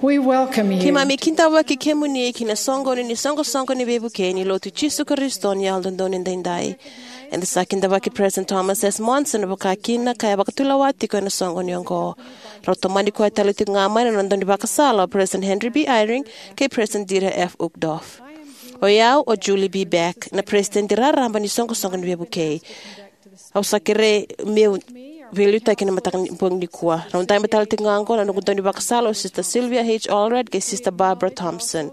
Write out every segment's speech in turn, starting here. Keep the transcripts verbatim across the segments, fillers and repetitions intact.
We welcome you. Keimami kidavaki kemuni ki na soqoni ni soqosoqo ni veivukei ni Lotu Jisu Karisito ni Yalododonu Edaidai. Eda sa kidavaki President Thomas S. Monson vakakina ka vakatulewa tiko ena soqoni oqo. Rau tomani koya tale tiko ga mai na noda daunivakasala o President Henry B. Eyring kei President Dieter F. Uchtdorf. O yau o Julie B. Beck, na President raraba ni soqosoqo ni veivukei. Au sa kerei meu veiliutaki ena mataka ni bogi nikua. Rau dabe tale tiko ga oqo na noqu daunivakasala o Sister Sylvia H. Allred kei Sister Barbara Thompson.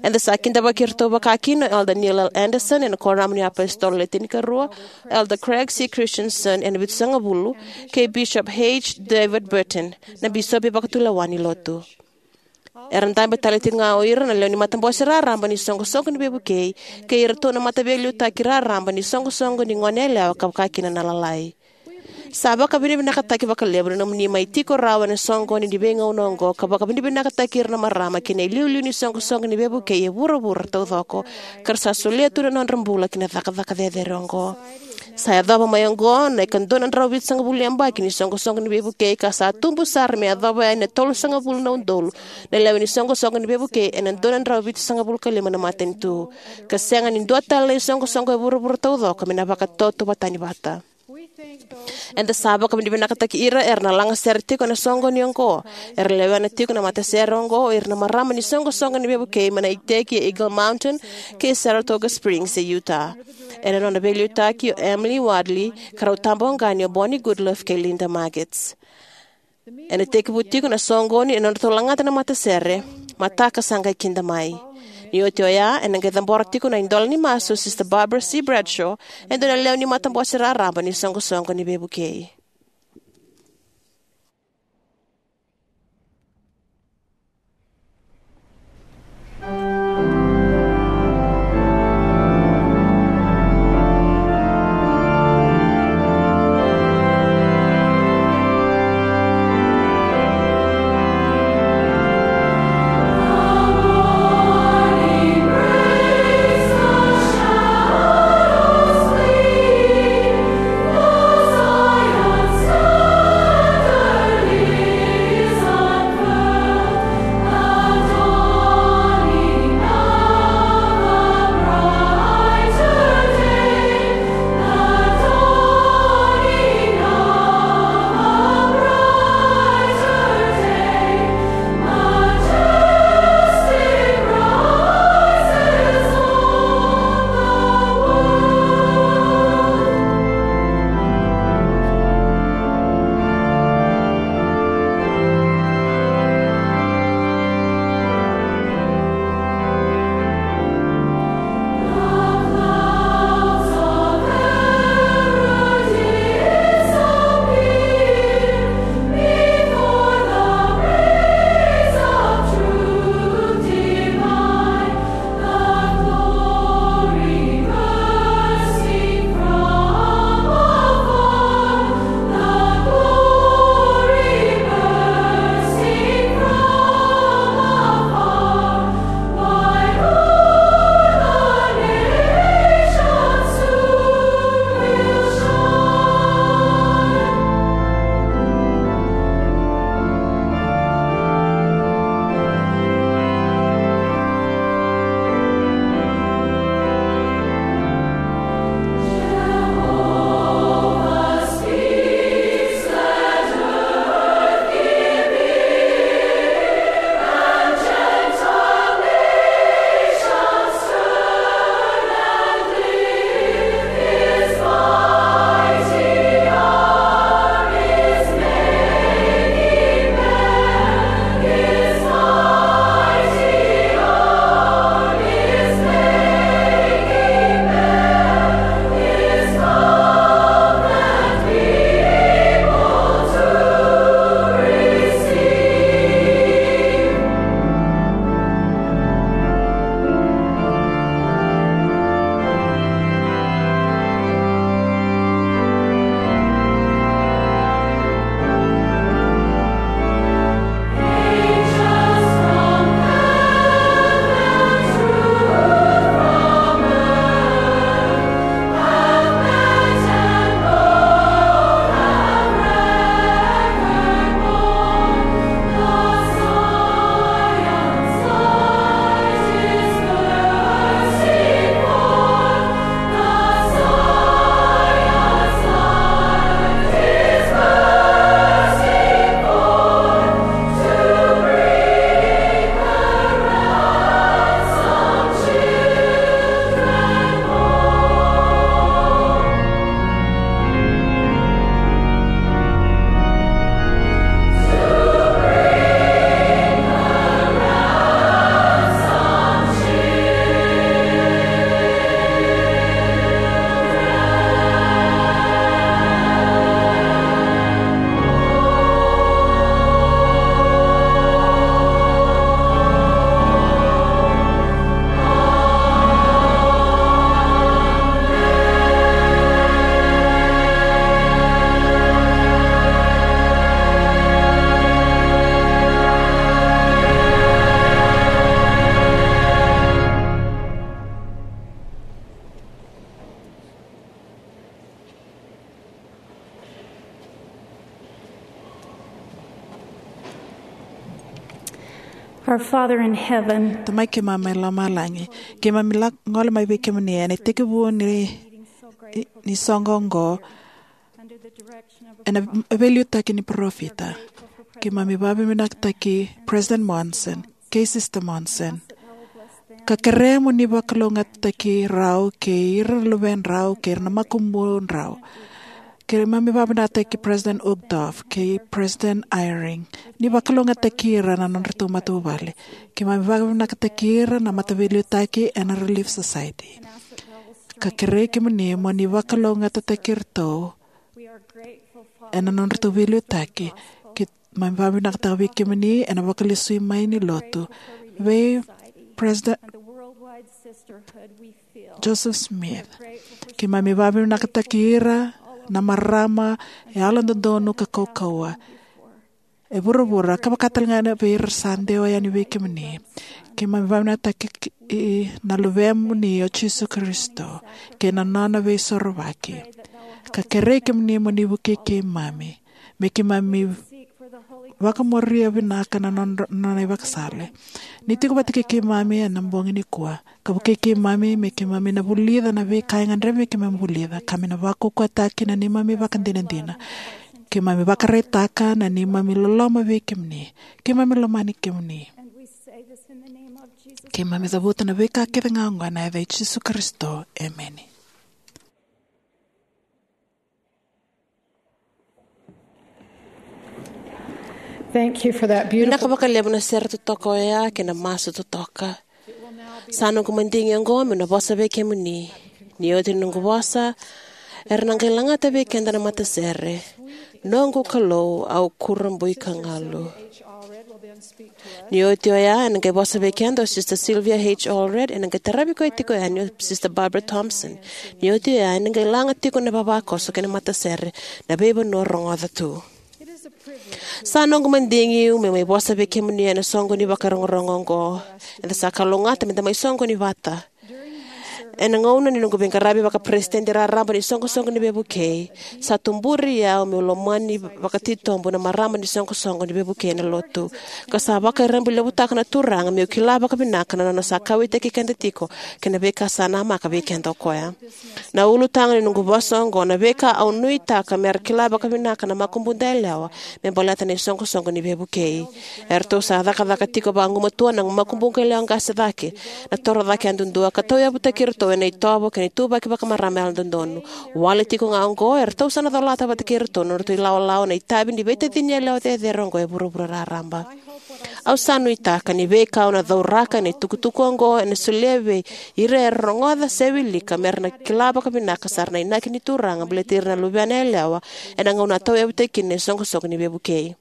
Eda sa kidavaki iratou vakakina o Elder Neil L. Andersen ena Kuoramu ni iApositolo Le Tinikarua, Elder Craig C. Christensen ena Vitusagavulu, kei Bishop H. David Burton, na bisopi vakatulewa ni Lotu. Era dabe tale tiko ga o ira na lewe ni matabose raraba ni soqosoqo ni veivukei kei iratou na mataveiliutaki raraba ni soqosoqo ni goneyalewa ka vakakina na lalai. Sa vakavinavinakataki vakalevu na nomuni mai tiko rawa ena soqoni ni veigauna oqo ka vakavinavinakataki ira na marama kei na iliuliu ni soqosoqo ni veivukei e vuravura taucoko ka ra sa solia tu na nodra bula ki na cakacaka cecere oqo. Sa yacova mai oqo na ikadua na drau vitusagavulu ni yabaki ni soqosoqo ni veivukei ka sa tubu sara me yacova yani na tolusagavulu na udolu na lewe ni soqosoqo ni veivukei ena dua na drau vitusagavulu ka lima na matanitu. Ka sega ni dua tale na isoqosoqo e vuravura taucoko me na vakatautauvatani vata. Eda sa vakavinavinakataki ira era na lagasere tiko ena soqoni oqo. Era lewena tiko na matasere oqo o ira na marama ni soqosoqo ni veivukei mai na iteki e Eagle Mountain kei Saratoga Springs e Utah. Ena nona veiliutaki o Emily Wadley ka rau taboqani o Bonnie Goodliffe kei Linda Magets. Ena tekivu tiko na soqoni ena nodratou lagata na matasere, mataka sa qai kida mai. Ni oti oya, ena qai cabora tiko na idola ni masu o Sister Barbara C. Bradshaw, e dua na lewe ni matabose raraba ni soqosoqo ni veivukei. Our Father in heaven, Tamai keimami mai lomalagi, keimami la gole mai vei kemuni ena itekivu ni, ni soqo oqo, ena veiliutaki ni parofita. Keimami vakavinavinakataki President Monson kei Sister Monson, ka kerea mo ni vakalougatataki rau kei ira na luvedrau kei ira na makubudrau. Keimami vakavinavinakataki President Uchtdorf kei President Eyring, ni vakalougatataki ira na nodratou matavuvale. Keimami vakavinavinakataki ira na mataveiliutaki ena Relief Society, ka kerei kemuni mo ni vakalougatataki iratou ena nodratou veiliutaki. Keimami vakavinavinakataka vei kemuni ena vakalesui mai ni lotu vei President Joseph Smith. Keimami vakavinavinakataki ira na marama e yalododonu ka kaukauwa e vuravura, ka vaka talega vei ira sa dewa yani vei kemuni. Keimami vakavinavinakataki na Luvemuni o Jisu Karisito kei na nona veisorovaki, ka kerei kemuni mo ni vukei keimami me keimami vakamuria vinaka na nona, nona ivakasala. Ni tiko vata kei keimami ena bogi nikua, ka vukei keimami me keimami na vulica na veika e gadrevi me keimami vulica, ka me na vakaukauwataki na neimami ivakadinadina. Keimami vakaraitaka na neimami loloma vei kemuni. Keimami lomani kemuni. Keimami cavuta na veika kece ga oqo ena yaca i Jisu Karisito. Emeni. Thank you for that beautiful. Vinaka vakalevu na sere totoka oya kei na masu totoka. Sa noqu madigi oqo meu na vosa vei kemuni. Ni oti na noqu vosa, era na qai lagata vei keda na matasere, Noqu Kalou, au kurabui ka galu. Ni oti oya, ena qai vosa vei keda o Sister Sylvia H. Allred, ena qai taravi koya tiko yani o Sister Barbara Thompson. Ni oti oya, ena qai laga tiko na ivavakoso kei na matasere, Na Veivanua Rogoca Tu. Sa noqu madigi meu mai vosa vei kemuni ena soqo ni vakarogorogo oqo. Eda sa kalougata meda mai soqoni vata. Ena gauna ni noqu veiqaravi vakaperesitedi raraba ni Soqosoqo ni Veivukei, sa tuburi au meu lomani vakatitobu na marama ni Soqosoqo ni Veivukei ena Lotu, ka sa vakairebolevutaka na Turaga meu kila vakavinaka na nona sa kauwaitaki keda tiko kei na veika sa namaka vei keda o koya. Na ulutaga ni noqu vosa oqo, na veika au nuitaka mera kila vakavinaka na makubuda yalewa me baleta na iSoqosoqo ni Veivukei. Eratou sa cakacaka tiko vagumatua na makubuqu yalewa qase cake, na toro cake yadudua, ka tauyavutaki iratou ena itovo kei na ituvaki vakamarama yalododonu. Wale tiko ga oqo, eratou sa na colata vata kei iratou na nodratou ilawalawa na itavi ni veitacini yalewa cecere oqo e vuravura raraba. Au sa nuitaka ni veika au na cauraka ena itukutuku oqo ena solia vei ira era rogoca se wilika mera na kila vakavinaka sara na inaki ni Turaga baleti ira na luvena yalewa ena gauna a tauyavutaki kina na iSoqosoqo ni Veivukei.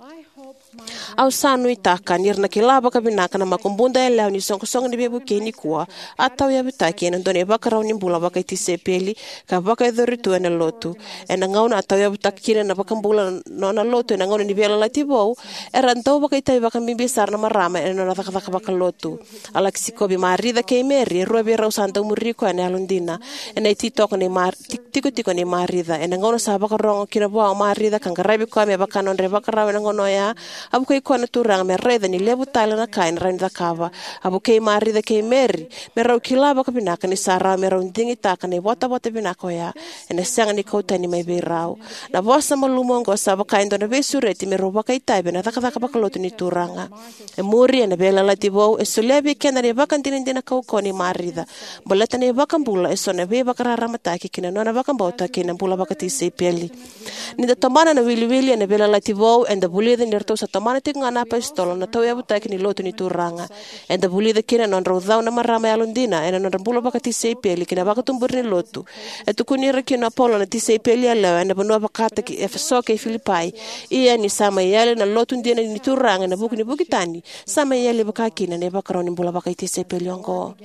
Au sa nuitaka ni ra na kila vakavinaka na makubuda yalewa ni Soqosoqo ni Veivukei nikua, a tauyavutaki ena dua na ivakarau ni bula vakaitisepeli ka vakayacori tu ena Lotu. Ena gauna a tauyavutaka kina na iVakabula na nona Lotu ena gauna ni Veiyalayalati Vou, era dau vakaitavi vakabibi sara na marama ena nona cakacaka vakalotu. A laki sikovi Marica kei Meri, e rua vei rau sa dau muri koya ena yalodina. Ena ititoko nei Mar-, ti-, tikotiko nei Marica. Ena gauna sa vakarogo kina vua o Marica ka qaravi koya me vaka na nodra ivakarau ena gauna oya, a vukei koya na Turaga me raica ni levu tale na ka ena rawa ni cakava. A vukei Marica kei Meri me rau kila vakavinaka ni sa rawa me rau digitaka na ivotavota vinaka oya, ena sega ni kau tani mai vei rau. Na vosa malumu oqo sa vaka e dua na veisureti me rau vakaitavi ena cakacaka vakalotu ni Turaga. E muri, ena Veiyalayalati Vou, e solia vei keda na ivakadinadina kaukauwa nei Marica baleta na iVakabula eso na veivakararamataki ki na nona vakabauta kei na bula vakatisaipeli. Ni da tomana na iwiliwili ena Veiyalayalati Vou, eda vulica ni ratou sa tomana tiko ga na iapositolo na tauyavutaki ni Lotu ni Turaga. Eda vulica kina na nodrau cau na marama yalodina ena nodra bula vakatisaipeli ki na vakatuburi ni Lotu. E tukuni ira kina o Paula na tisaipeli yalewa ena vanua vakataki Efeso kei Filipai. Ia ni sa mai yali na Lotu dina ni Turaga ena vuku ni vuki tani, sa mai yali vakakina na ivakarau ni bula vakatisaipeli oqo.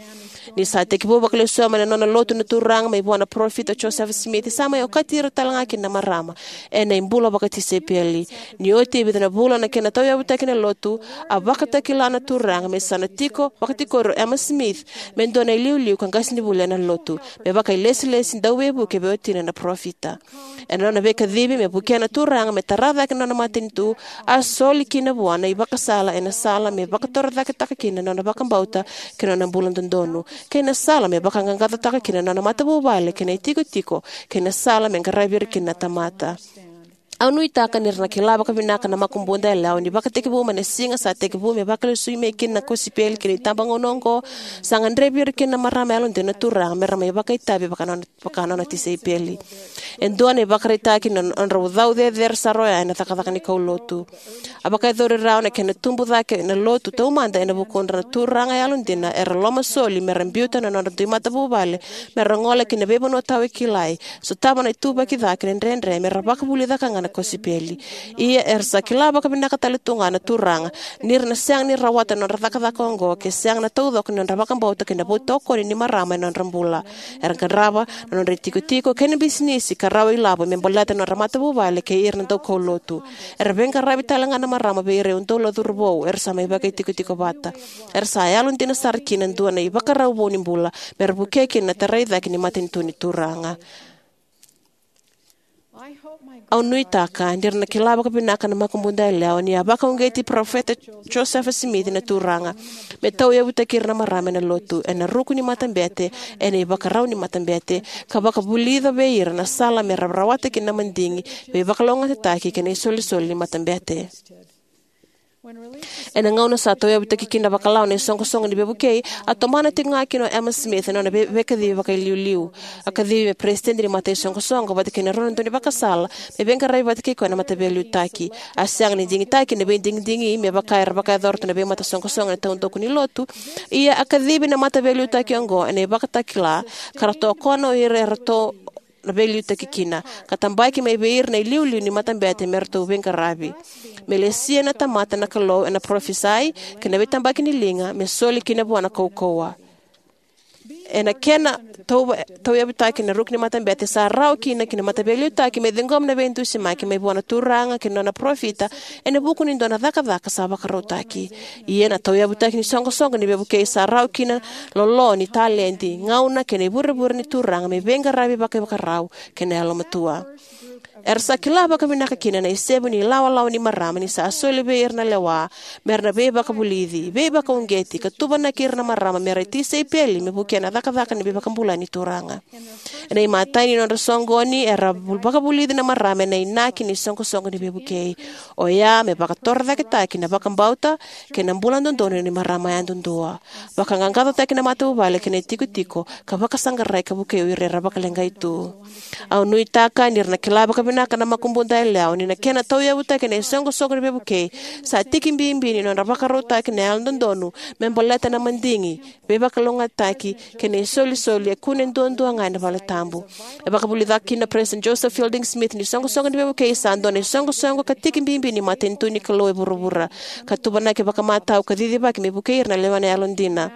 Ni sa tekivu vakalesuya mai na nona Lotu na Turaga mai vua na parofita o Josefa Simici, sa mai okati ira talega kina na marama ena ibula vakatisaipeli. Ni oti e vica na vula na kena tauyavutaki na Lotu, a vakatakila na Turaga me sa na tiko vakatikori o Emma Smith me dua na iliuliu ka qasenivuli ena Lotu, me vakailesilesi dauveivuke vei watina na parofita. Ena nona veikacivi me vukea na Turaga me tara cake na nona matanitu, a soli kina vua na ivakasala ena sala me vakatorocaketaka kina na nona vakabauta kei na nona bula dodonu, kei na sala me vaqaqacotaka kina na nona matavuvale kei na itikotiko, kei na sala me qaravi ira kina na tamata. Au nuitaka ni ra na kila vakavinaka na makubuqu yalewa ni vakatekivu mai na siga sa tekivu me vakalesui mai kina na kosipeli ki na itabagauna oqo, sa gadrevi ira kina na marama yalodina na Turaga me ra mai vakaitavi vaka nona, vaka nona tisaipeli. E dua na ivakaraitaki ni nodrau cau cecere sara oya ena cakacaka ni kaulotu. A vakayacori rawa na kena tubu cake na Lotu taumada ena vukudra na turaga yalodina era lomasoli me ra biuta na nodra dui matavuvale me ra gole ki na veivanua tawakilai, sotava na ituvaki ca kei na dredre me ra vakavulica ka ga na kosipeli. Ia era sa kila vakavinaka tale tu ga na Turaga ni ra na sega ni rawata na nodra cakacaka oqo ke sega na taucoko ni nodra vakabauta kei na veitokoni ni marama ena nodra bula. Era qarava na nodra itikotiko kei na bisinisi ka rawa ilavo me baleta na nodra matavuvale kei ira na daukaulotu. Era veiqaravi tale ga na marama vei ira e udolu na cauravou era sa mai vakaitikotiko vata. Era sa yalodina sara kina e dua na ivakarau vou ni bula me ra vukea kina na tarai cake ni matanitu ni Turaga. Au nuitaka ni ra na kila vakavinaka na makubuqu yalewa ni a vakauqeti Parofita Josefa Simici na Turaga me tauyavutaki ira na marama ena Lotu, ena ruku ni matabete, ena ivakarau ni matabete, ka vakavulica vei ira na sala me ra rawata kina na madigi, veivakalougatataki kei na isolisoli ni matabete. Ena gauna sa tauyavutaki kina vakalawa na iSoqosoqo ni Veivukei, a tomana tiko ga kina o Emma Smith na nona vei- veikacivi vakailiuliu. A kacivi me peresitedi ni mataisoqosoqo vata kei na rua na daunivakasala me veiqaravi vata kei koya na mataveiliutaki. A sega ni digitaki na veidigidigi me vaka era vakayacora tu na veimatasoqosoqo ena taudaku ni Lotu, ia a kacivi na mataveiliutaki oqo ena ivakatakila ka ra tokona o ira eratou na veiliutaki kina, ka tabaki mai vei ira na iliuliu ni matabete me ratou veiqaravi, me lesia na tamata na Kalou ena parofisai kei na veitabaki ni liga me soli kina vua na kaukauwa. Ena kena tauva- tauyavutaki na ruku ni matabete, sa rawa kina ki na mataveiliutaki me ciqoma na veidusimaki mai vua na Turaga kei na nona parofita ena vuku ni dua na cakacaka sa vakarautaki. Ia na tauyavutaki ni Soqosoqo ni Veivukei sa rawa kina lolo ni taledi, gauna kei na ivurevure ni Turaga me veiqaravi vakaivakarau kei na yalomatua. Era sa kila vakavinaka kina na isevu ni ilawalawa ni marama ni sa soli vei ira na lewa me ra na veivakavulici, veivakauqeti, ka tuvanaki ira na marama me ra tisaipeli me vukea na cakacaka ni veivakabulai ni Turaga. Ena imatai ni nodra soqoni, era vu- vakavulici na marama ena inaki ni Soqosoqo ni Veivukei, oya me vakatorocaketaki na vakabauta kei na bula dodonu ni marama yadudua, vakaqaqacotaki na matavuvale kei na itikotiko, ka vakasaqarai ka vukei o ira era vakaleqai tu. Au nuitaka ni ra na kila vakavinaka na makubuqu yalewa ni na kena tauyavutaki na iSoqosoqo ni Veivukei sa tiki bibi ni nodra vakarautaki na yalododonu me baleta na madigi, veivakalougatataki kei na isolisoli e kune duadua ga ena valetabu. E vakavulica kina o Peresitedi Joseph Fielding Smith ni Soqosoqo ni Veivukei sa dua na isoqosoqo ka tiki bibi ni matanitu ni Kalou e vuravura, ka tuvanaki vakamatau ka cicivaki me vukei ira na lewena yalodina.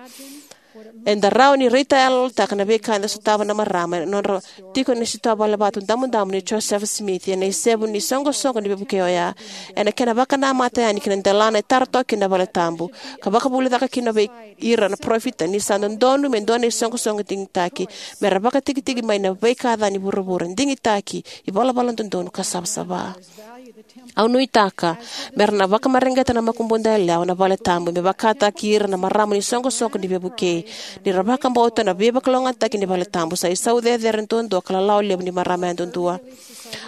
Eda rawa ni raitayaloyalotaka na veika eda sotava na marama ena nodra tiko ena sitoa valevatu damudamu nei Josefa Simici ena isevu ni Soqosoqo ni Veivukei oya, ena kena vakanamata yani ki na delana e tara toka kina na valetabu, ka vakavulica kina vei ira na parofita ni sa dodonu me dua na isoqosoqo digitaki me ra vakatikitiki mai na veika ca ni vuravura, digitaki, ivalavala dodonu, ka savasava. Au nuitaka me ra na vakamareqeta na makubuqu yalewa na valetabu me vakataki ira na marama ni Soqosoqo ni Veivukei, ni ra vakabauta na veivakalougatataki ni valetabu sa isau cecere duadua ka lalawa levu ni marama yadudua.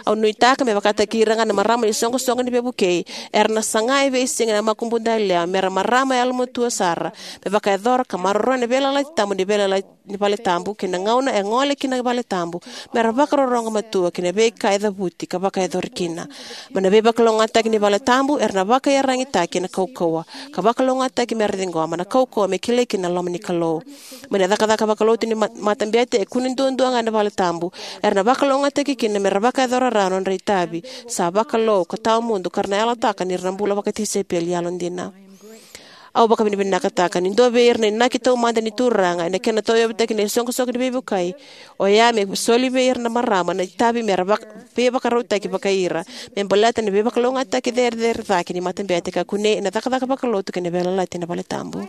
Au nuitaka me vakataki ira ga na marama ni Soqosoqo ni Veivukei era na saga e veisiga na makubuqu yalewa me ra marama yalomatua sara, me vakayacora ka maroroya na veiyalayalati tabu ni veiyalayalati ni valetabu kei na gauna e gole kina na valetabu, me ra vakarorogo matua ki na veika e cavuti ka vakayacori kina. Mai na veivakalougatataki ni valetabu era na vakaiyaragitaki ena kaukauwa, ka vakalougatataki me ra ciqoma na kaukauwa me kilai kina na loma ni Kalou. Mai na cakacaka vakalotu ni ma- matabete e kune duadua ga ena valetabu, era na vakalougatataki kina me ra vakayacora rawa na nodra itavi sa vakalou ka tawamudu ka ra na yalataka ni ra na bula vakatisaipeli yalodina. Au vakavinavinakataka ni dua vei ira na inaki taumada ni Turaga ena kena tauyavutaki na isoqosoqo ni veivukei oya me soli vei ira na marama na itavi mera vak- veivakarautaki vakai ira me baleta na veivakalougatataki cecere cake ni matabete ka kunei ena cakacaka vakalotu kei na veiyalayalati ena valetabu.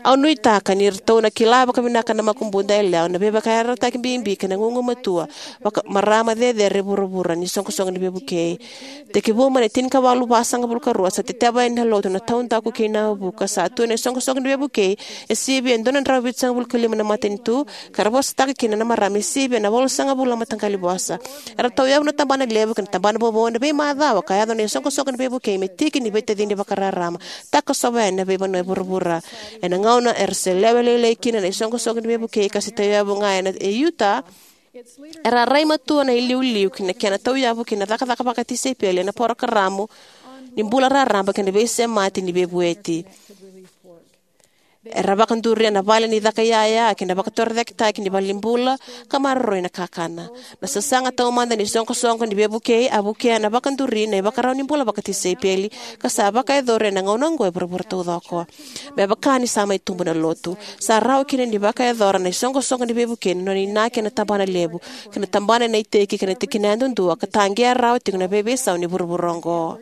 Au nuitaka ni ratou na kila vakavinaka na makubuda yalewa na veivakayarayarataki bibi kei na gugumatua vaka- marama cecere e vuravura ni soqosoqo ni veivukei. Tekivu mai na tinikawalu vasagavulu ka rua sa teteva yani na Lotu na taudaku kei Nauvoo ka sa tu na isoqosoqo ni veivukei e sivia e dua na drau vitusagavulu ka lima na matanitu, ka ra vosataka kina na marama e sivia na walusagavulu na mataqali vosa. Era tauyavu na tabana levu kei na tabana vovou ena veimacawa ka yaco na isoqosoqo ni veivukei me tiki ni veitacini vakararaba, takosova yani na veivanua e vuravura. Ena gauna era se lewe lailai kina na isoqosoqo ni veivukei ka se tauyavu ga ena e Utah, era a rai matua na iliuliu ki na kena tauyavu ki na cakacaka vakatisaipeli ena porokaramu ni bula raraba kei na veisemati ni veivueti. Era vakaduria na vale ni caka iyaya kei na vakatorocaketaki ni valenibula ka maroroi na kakana. Na sasaga taumada ni soqosoqo ni veivukei a vukea na vakaduri na ivakarau ni bula vakatisaipeli ka sa vakayacori ena gauna oqo e vuravura taucoko. Me vaka ni sa mai tubu na Lotu, sa rawa kina ni vakayacora na isoqosoqo ni veivukei na nona inaki ena tabana levu kei na tabana ena iteki kei na tikina yadudua ka taqea rawa tiko na veiveisau ni vuravura oqo.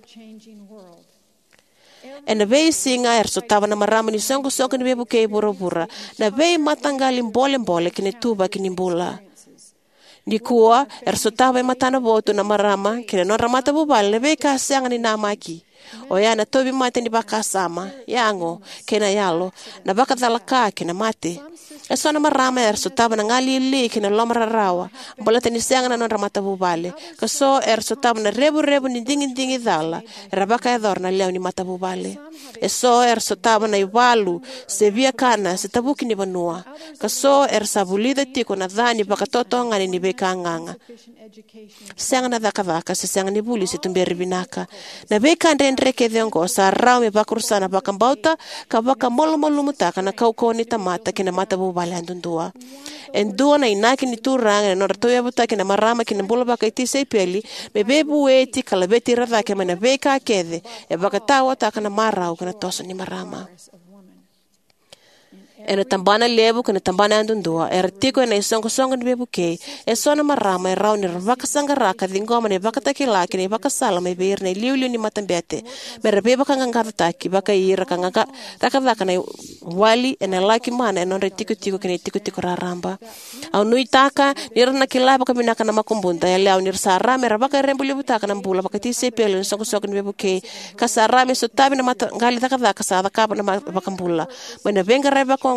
Ena veisiga era sotava na marama ni soqosoqo ni veivukei e vuravura na veimataqali bolebole kei na ituvaki ni bula. Nikua era sotava e matanavotu na marama kei na nodra matavuvale na veika sega ni namaki, oya na tauvimate ni vakasama, yago, kei na yalo, na vakacalaka kei na mate. Eso na marama era sotava na galili kei na loma rarawa baleta ni sega na nodra matavuvale, ka so era sotava na revurevu ni digidigi cala era vakayacora na lewe ni matavuvale. Eso era sotava na ivalu se viakana se tavuki ni vanua, ka so era sa vulica tiko na ca ni vakatotogani ni veika gaga, sega na cakacaka se sega ni vuli se tuberi vinaka. Na veika dredre kece oqo sa rawa me vakarusa na vakabauta ka vakamalumalumutaka na kaukauwa ni tamata kei na matavuvale yadudua. E dua na inaki ni Turaga ena nodra tauyavutaki na marama ki na bula vakatisaipeli me veivueti ka laveti ira cake mai na veika kece e vakataotaka na marau kei na toso ni marama. Ena tabana levu kei na tabana yadudua era tiko ena isoqosoqo ni veivukei, eso na marama e rawa ni ra vakasaqara ka ciqoma na ivakatakila kei na ivakasala mai vei ira na iliuliu ni matabete me ra veivakaqaqacotaki vakai ira ka qaqa- cakacaka na iwali ena laki mana ena nodra itikotiko kei na itikotiko raraba. Au nuitaka ni ra na kila vakavinaka na makubuda yalewa ni ra sa rawa me ra vakarebulevutaka na bula vakatisaipeli ena soqosoqo ni veivukei, ka sa rawa me sotavi na mataqali cakacaka sa cakava na ma- vakabula. Mai na veiqaravi vakaoqo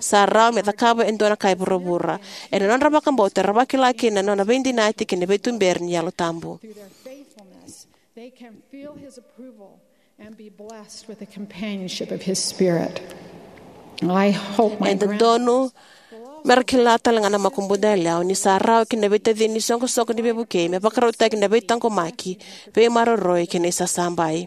sa rawa me cakava e dua na ka e vuravura. Ena nodra vakabauta era vakila kina na nona veidinati kei na veituberi ni Yalo Tabu. They can feel his approval and be blessed with the companionship of his spirit. I hope my E dodonu me ra kila tale ga na makubuda yalewa ni sa rawa ki na veitacini ni soqosoqo ni veivukei me vakarautaki na veitaqomaki, veimaroroi kei na isasabai.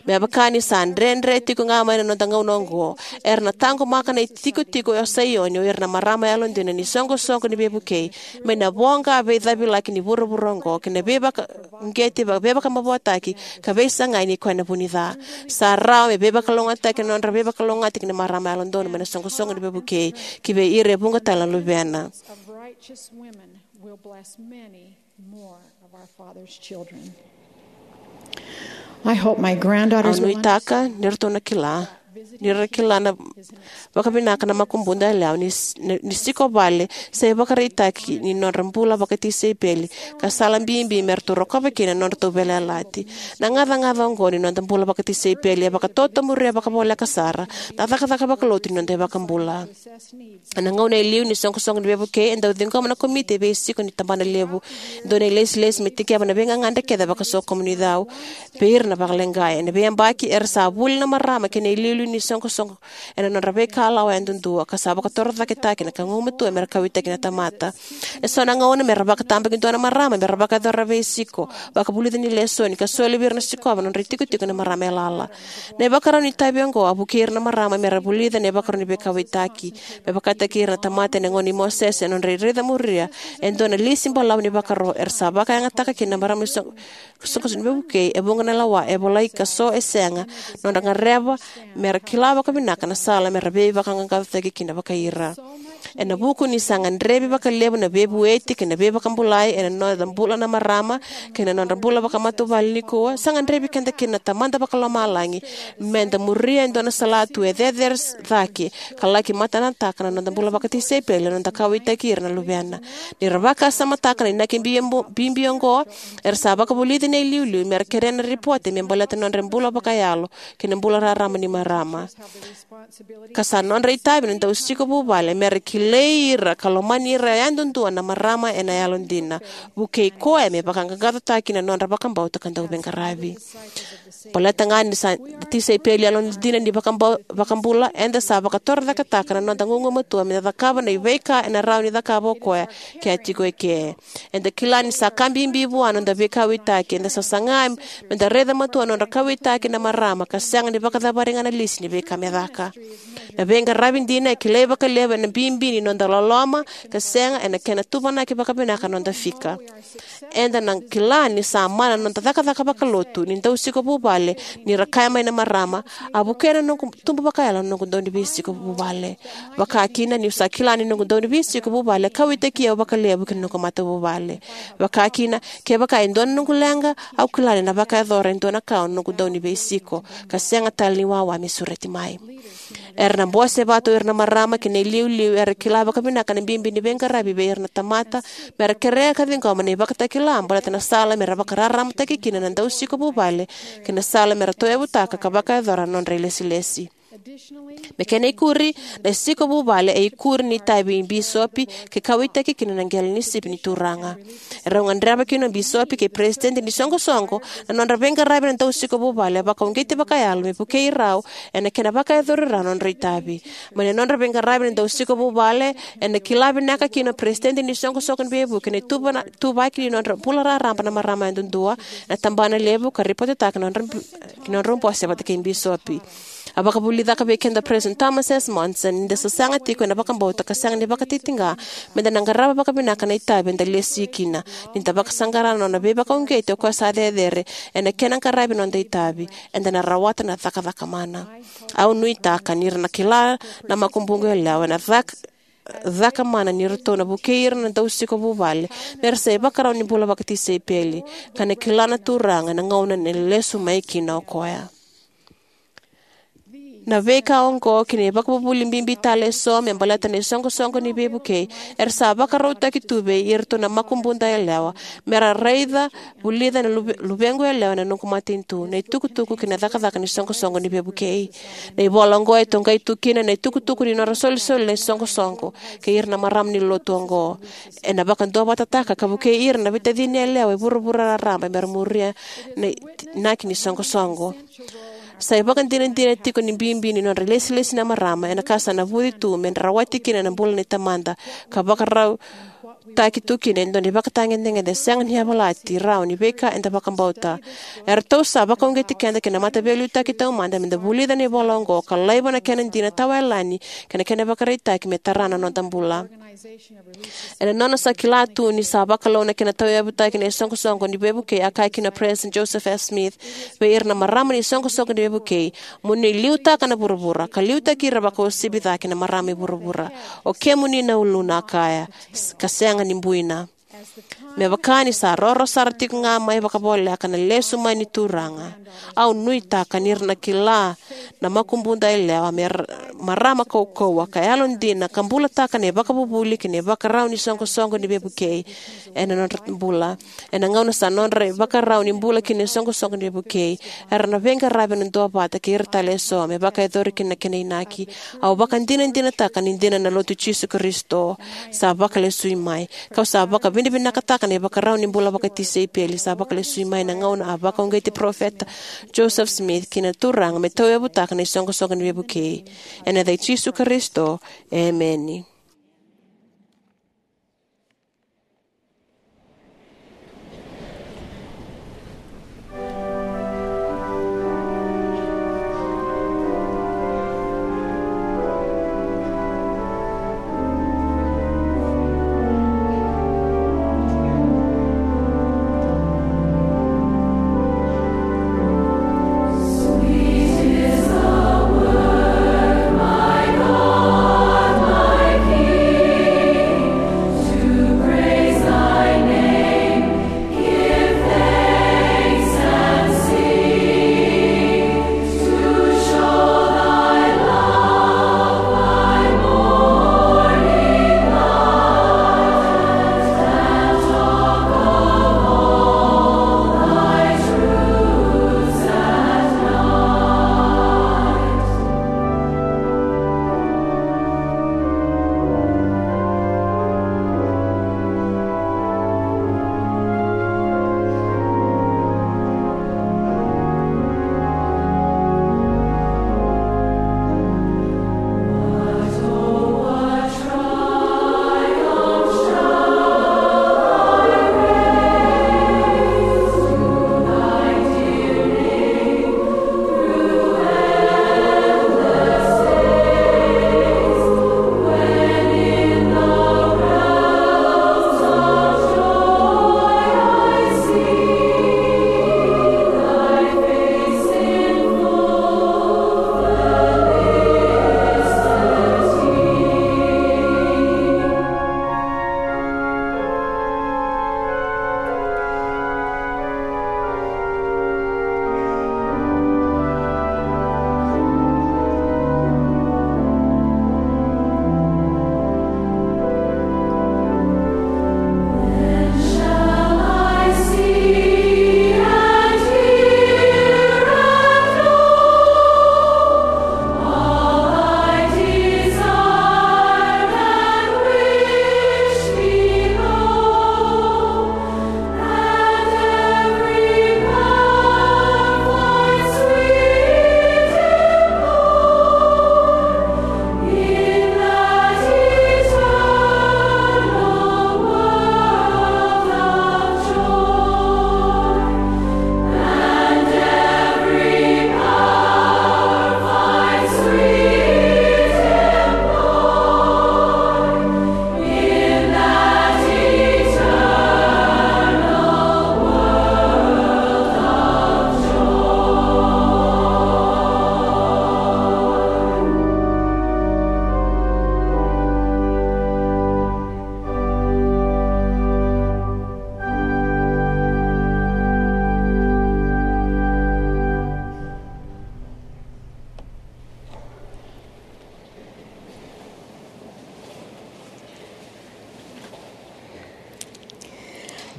Me vaka ni sa dredre tiko ga mai na noda gauna oqo, era na taqomaka na itikotiko o Saioni o ira na marama yalodina ni soqosoqo ni veivukei mai na voqa veicavilaki ni vuravura oqo kei na veivaka- uqeti, veivakamavoataki, ka veisagai ni koya na vu ni ca. Sa rawa me veivakalougatataki na nodra veivakalougatataki na marama yalododonu mai na soqosoqo ni veivukei ki vei ira e vuqa tale na luvena. Of righteous women will bless many more of our Father's children. I hope my granddaughters Au will nuitaka ni ratou na kila ni ra kila na vakavinaka na makubuda yalewa ni, ni, ni siko vale sa ivakaraitaki ni nodra bula vakatisaipeli ka sala bibi me ratou rokova kina na nodratou veiyalayalati. Na gacagaca oqo ni noda bula vakatisaipeli e vakatotomuria vakavoleka sara na cakacaka vakalotu ni noda iVakabula. Ena gauna e liu ni soqosoqo ni veivukei e dau ciqoma na komiti e veisiko ni tabana levu e dua na ilesilesi me tekivaka na veigagadre kece vakasokomuni cau vei ira na vakaleqai. Ena veiyabaki era sa vuli na marama kei na iliuliu ni soqosoqo ena nodra veikalawa yadudua ka sa vakatorocaketaki na ka gugumatua me ra kauwaitaki na tamata. Eso na gauna me ra vakatabakidua na marama me ra vakayacora na veisiko, vakavulica ni lesoni ka soli vei ira na sikova na nodra itikotiko na marama yalayala. Na ivakarau ni itavi oqo a vukei ira na marama me ra vulica na ivakarau ni veikauwaitaki. Me vakataki ira na tamata ena gauna i Mosese ena nodra raica muria e dua na lisi balavu ni vakaro era sa vakayagataka kina na marama ni soqosoqo ni veivukei e vuqa na lawa e volai ka so e sega, nodra gadreva me ra kila vakavinaka na sala me ra veivaqaqacotaki kina vakai ira. Ena vuku ni sa gadrevi vakalevu na veivueti kei na veivakabulai ena noda bula na marama kei na nodra bula vakamatavuvale nikua, sa gadrevi keda kina na Tamada Vakalomalagi me da muria e dua na salatu e cecere cake ka laki matanataka na noda bula vakatisaipeli ena noda kauwaitaki ira na Luvena. Ni ra vakasamataka na inaki bibi oqo, era sa vakavulici na iliuliu me ra kerea na ripote me baleta na nodra bula vakayalo kei na bula raraba ni marama. Ka sa nodra itavi na dausiko vuvale me ra kilai ira ka lomani ira yadudua na marama ena yalodina, vukei koya me vaqaqacotaki na nodra vakabauta ka dauveiqaravi. Baleta ga ni sa tisaipeli yalodina ni vakabau-, vakabula, eda sa vakatorocaketaka na noda gugumatua me da cakava na veika ena rawa ni cakava o koya ke a tiko eke. Eda kila ni sa ka bibi vua na noda veikauwaitaki, eda sa saga me da raica matua na nodra kauwaitaki na marama ka sega ni vakacavari ga na lisi ni veika me caka. Na veiqaravi dina e kilai vakalevu ena bibi ni noda loloma ka sega ena kena tuvanaki vakavinaka na noda fika. Eda na kila ni sa mana na noda cakacaka vakalotu ni dausiko vuvale ni ra kaya mai na marama, "A vukea na noqu tubu vakayalo na noqu dau ni veisiko vuvale." Vaka kina, niu sa kila ni noqu dau ni veisiko vuvale e kauwaitaki au vakalevu kei na noqu matavuvale. Vaka kina, kevaka e dua na noqu leqa, au kila ni na vakayacora e dua na ka na noqu dau ni veisiko ka sega tale ni wawa me sureti mai. Era na bose vata o ira na marama kei na iliuliu era kila vakavinaka na bibi ni veiqaravi vei ira na tamata, me ra kerea ka ciqoma na ivakatakila baleta na sala me ra vakararamataki kina na dausiko vuvale kei na sala me ra tauyavutaka ka vakayacora na nodra ilesilesi. Me kena ikuri, na siko vuvale e ikuri ni itavi i bisopi ke kauwaitaki kina na qele ni sipi ni Turaga. E rau gadreva kina o bisopi kei peresitedi ni soqosoqo na nodra veiqaravi na dausiko vuvale e vakauqeti vakayalo me vukei rau ena kena vakayacori rau na nodra itavi. Mai na nodra veiqaravi na dausiko vuvale, ena kila vinaka kina o peresitedi ni soqosoqo ni veivuke na ituvaki ni nodra bula raraba na marama yadudua ena tabanalevu ka ripotetaka na nodra, na nodra bose vata kei bisopi. A vakavulica vei keda o Peresitedi Thomas S. Monson ni da sasaga tiko ena vakabauta ka sega ni vakatitiqa me da na qarava vakavinaka na itavi eda lesi kina. Ni da vakasaqara na nona veivakauqeti o koya sa cecere ena kena qaravi na noda itavi, eda na rawata na cakacaka mana. Au nuitaka ni ra na kila na makubuqu yalewa ena caka, caka mana ni ratou na vukei ira na dausiko vuvale me ra sa ivakarau ni bula vakatisaipeli ka na kila na Turaga ena gauna ena lesu mai kina o koya. Na veika oqo kei na ivakavuvuli bibi tale eso me baleta na isoqosoqo ni veivukei era sa vakarautaki tu vei iratou na makubuda yalewa me ra raica, vulica na luve-, luvequ yalewa na noqu matanitu, na itukutuku kei na cakacaka ni soqosoqo ni veivukei. Na ivola oqo e toqai tu kina na itukutuku ni nodra solisoli na isoqosoqo kei ira na marama ni lotu oqo. Ena vakaduavatataka ka vukei ira na veitacini yalewa e vuravura raraba me ra muria na inaki ni soqosoqo. Sa ivakadinadina tiko ni bibi ni nodra ilesilesi na marama ena ka sa navuci tu me ra rawati kina na bula ni tamada ka vakarautaki tu kina e dua na ivakatagedegede sega ni yavalati rawa ni veika eda vakabauta. Eratou sa vakauqeti keda kei na Mataveiliutaki Taumada me da vulica na ivola oqo ka laiva na kena dina tawayalani kei na kena ivakaraitaki me tara na noda bula. Ena nona sa kila tu ni sa vakalou na kena tauyavutaki na isoqosoqo ni veivukei, a kaya kina o Peresitedi Joseph F. Smith vei ira na marama ni isoqosoqo ni veivukei, "Mo ni liutaka na vuravura ka liutaki ira vakauasivi cake na marama e vuravura. O kemuni na uluna," a kaya, "s-, ka sega ni buina." Me vaka ni sa roro sara tiko ga mai vakavoleka na lesu mai ni Turaga, au nuitaka ni ra na kila na makubuda yalewa me ra-, marama kaukauwa ka yalodina ka bulataka na ivakavuvuli kei na ivakarau ni soqosoqo ni veivukei ena nodra bula. Ena gauna sa nodra ivakarau ni bula kina na isoqosoqo ni veivukei, era na veiqaravi ena duavata kei ira tale eso me vakayacori kina na kena inaki. Au vakadinadinataka ni dina na Lotu i Jisu Karisito. Sa vakalesui mai. Kau sa vakavinavinakataka na ivakarau ni bula vakatisaipeli sa vakalesui mai na gauna a vakauqeti Parofita Joseph Smith kina na Turaga me tauyavutaka na isoqosoqo ni veivukei. Ena yaca i Jisu Karisito, emeni.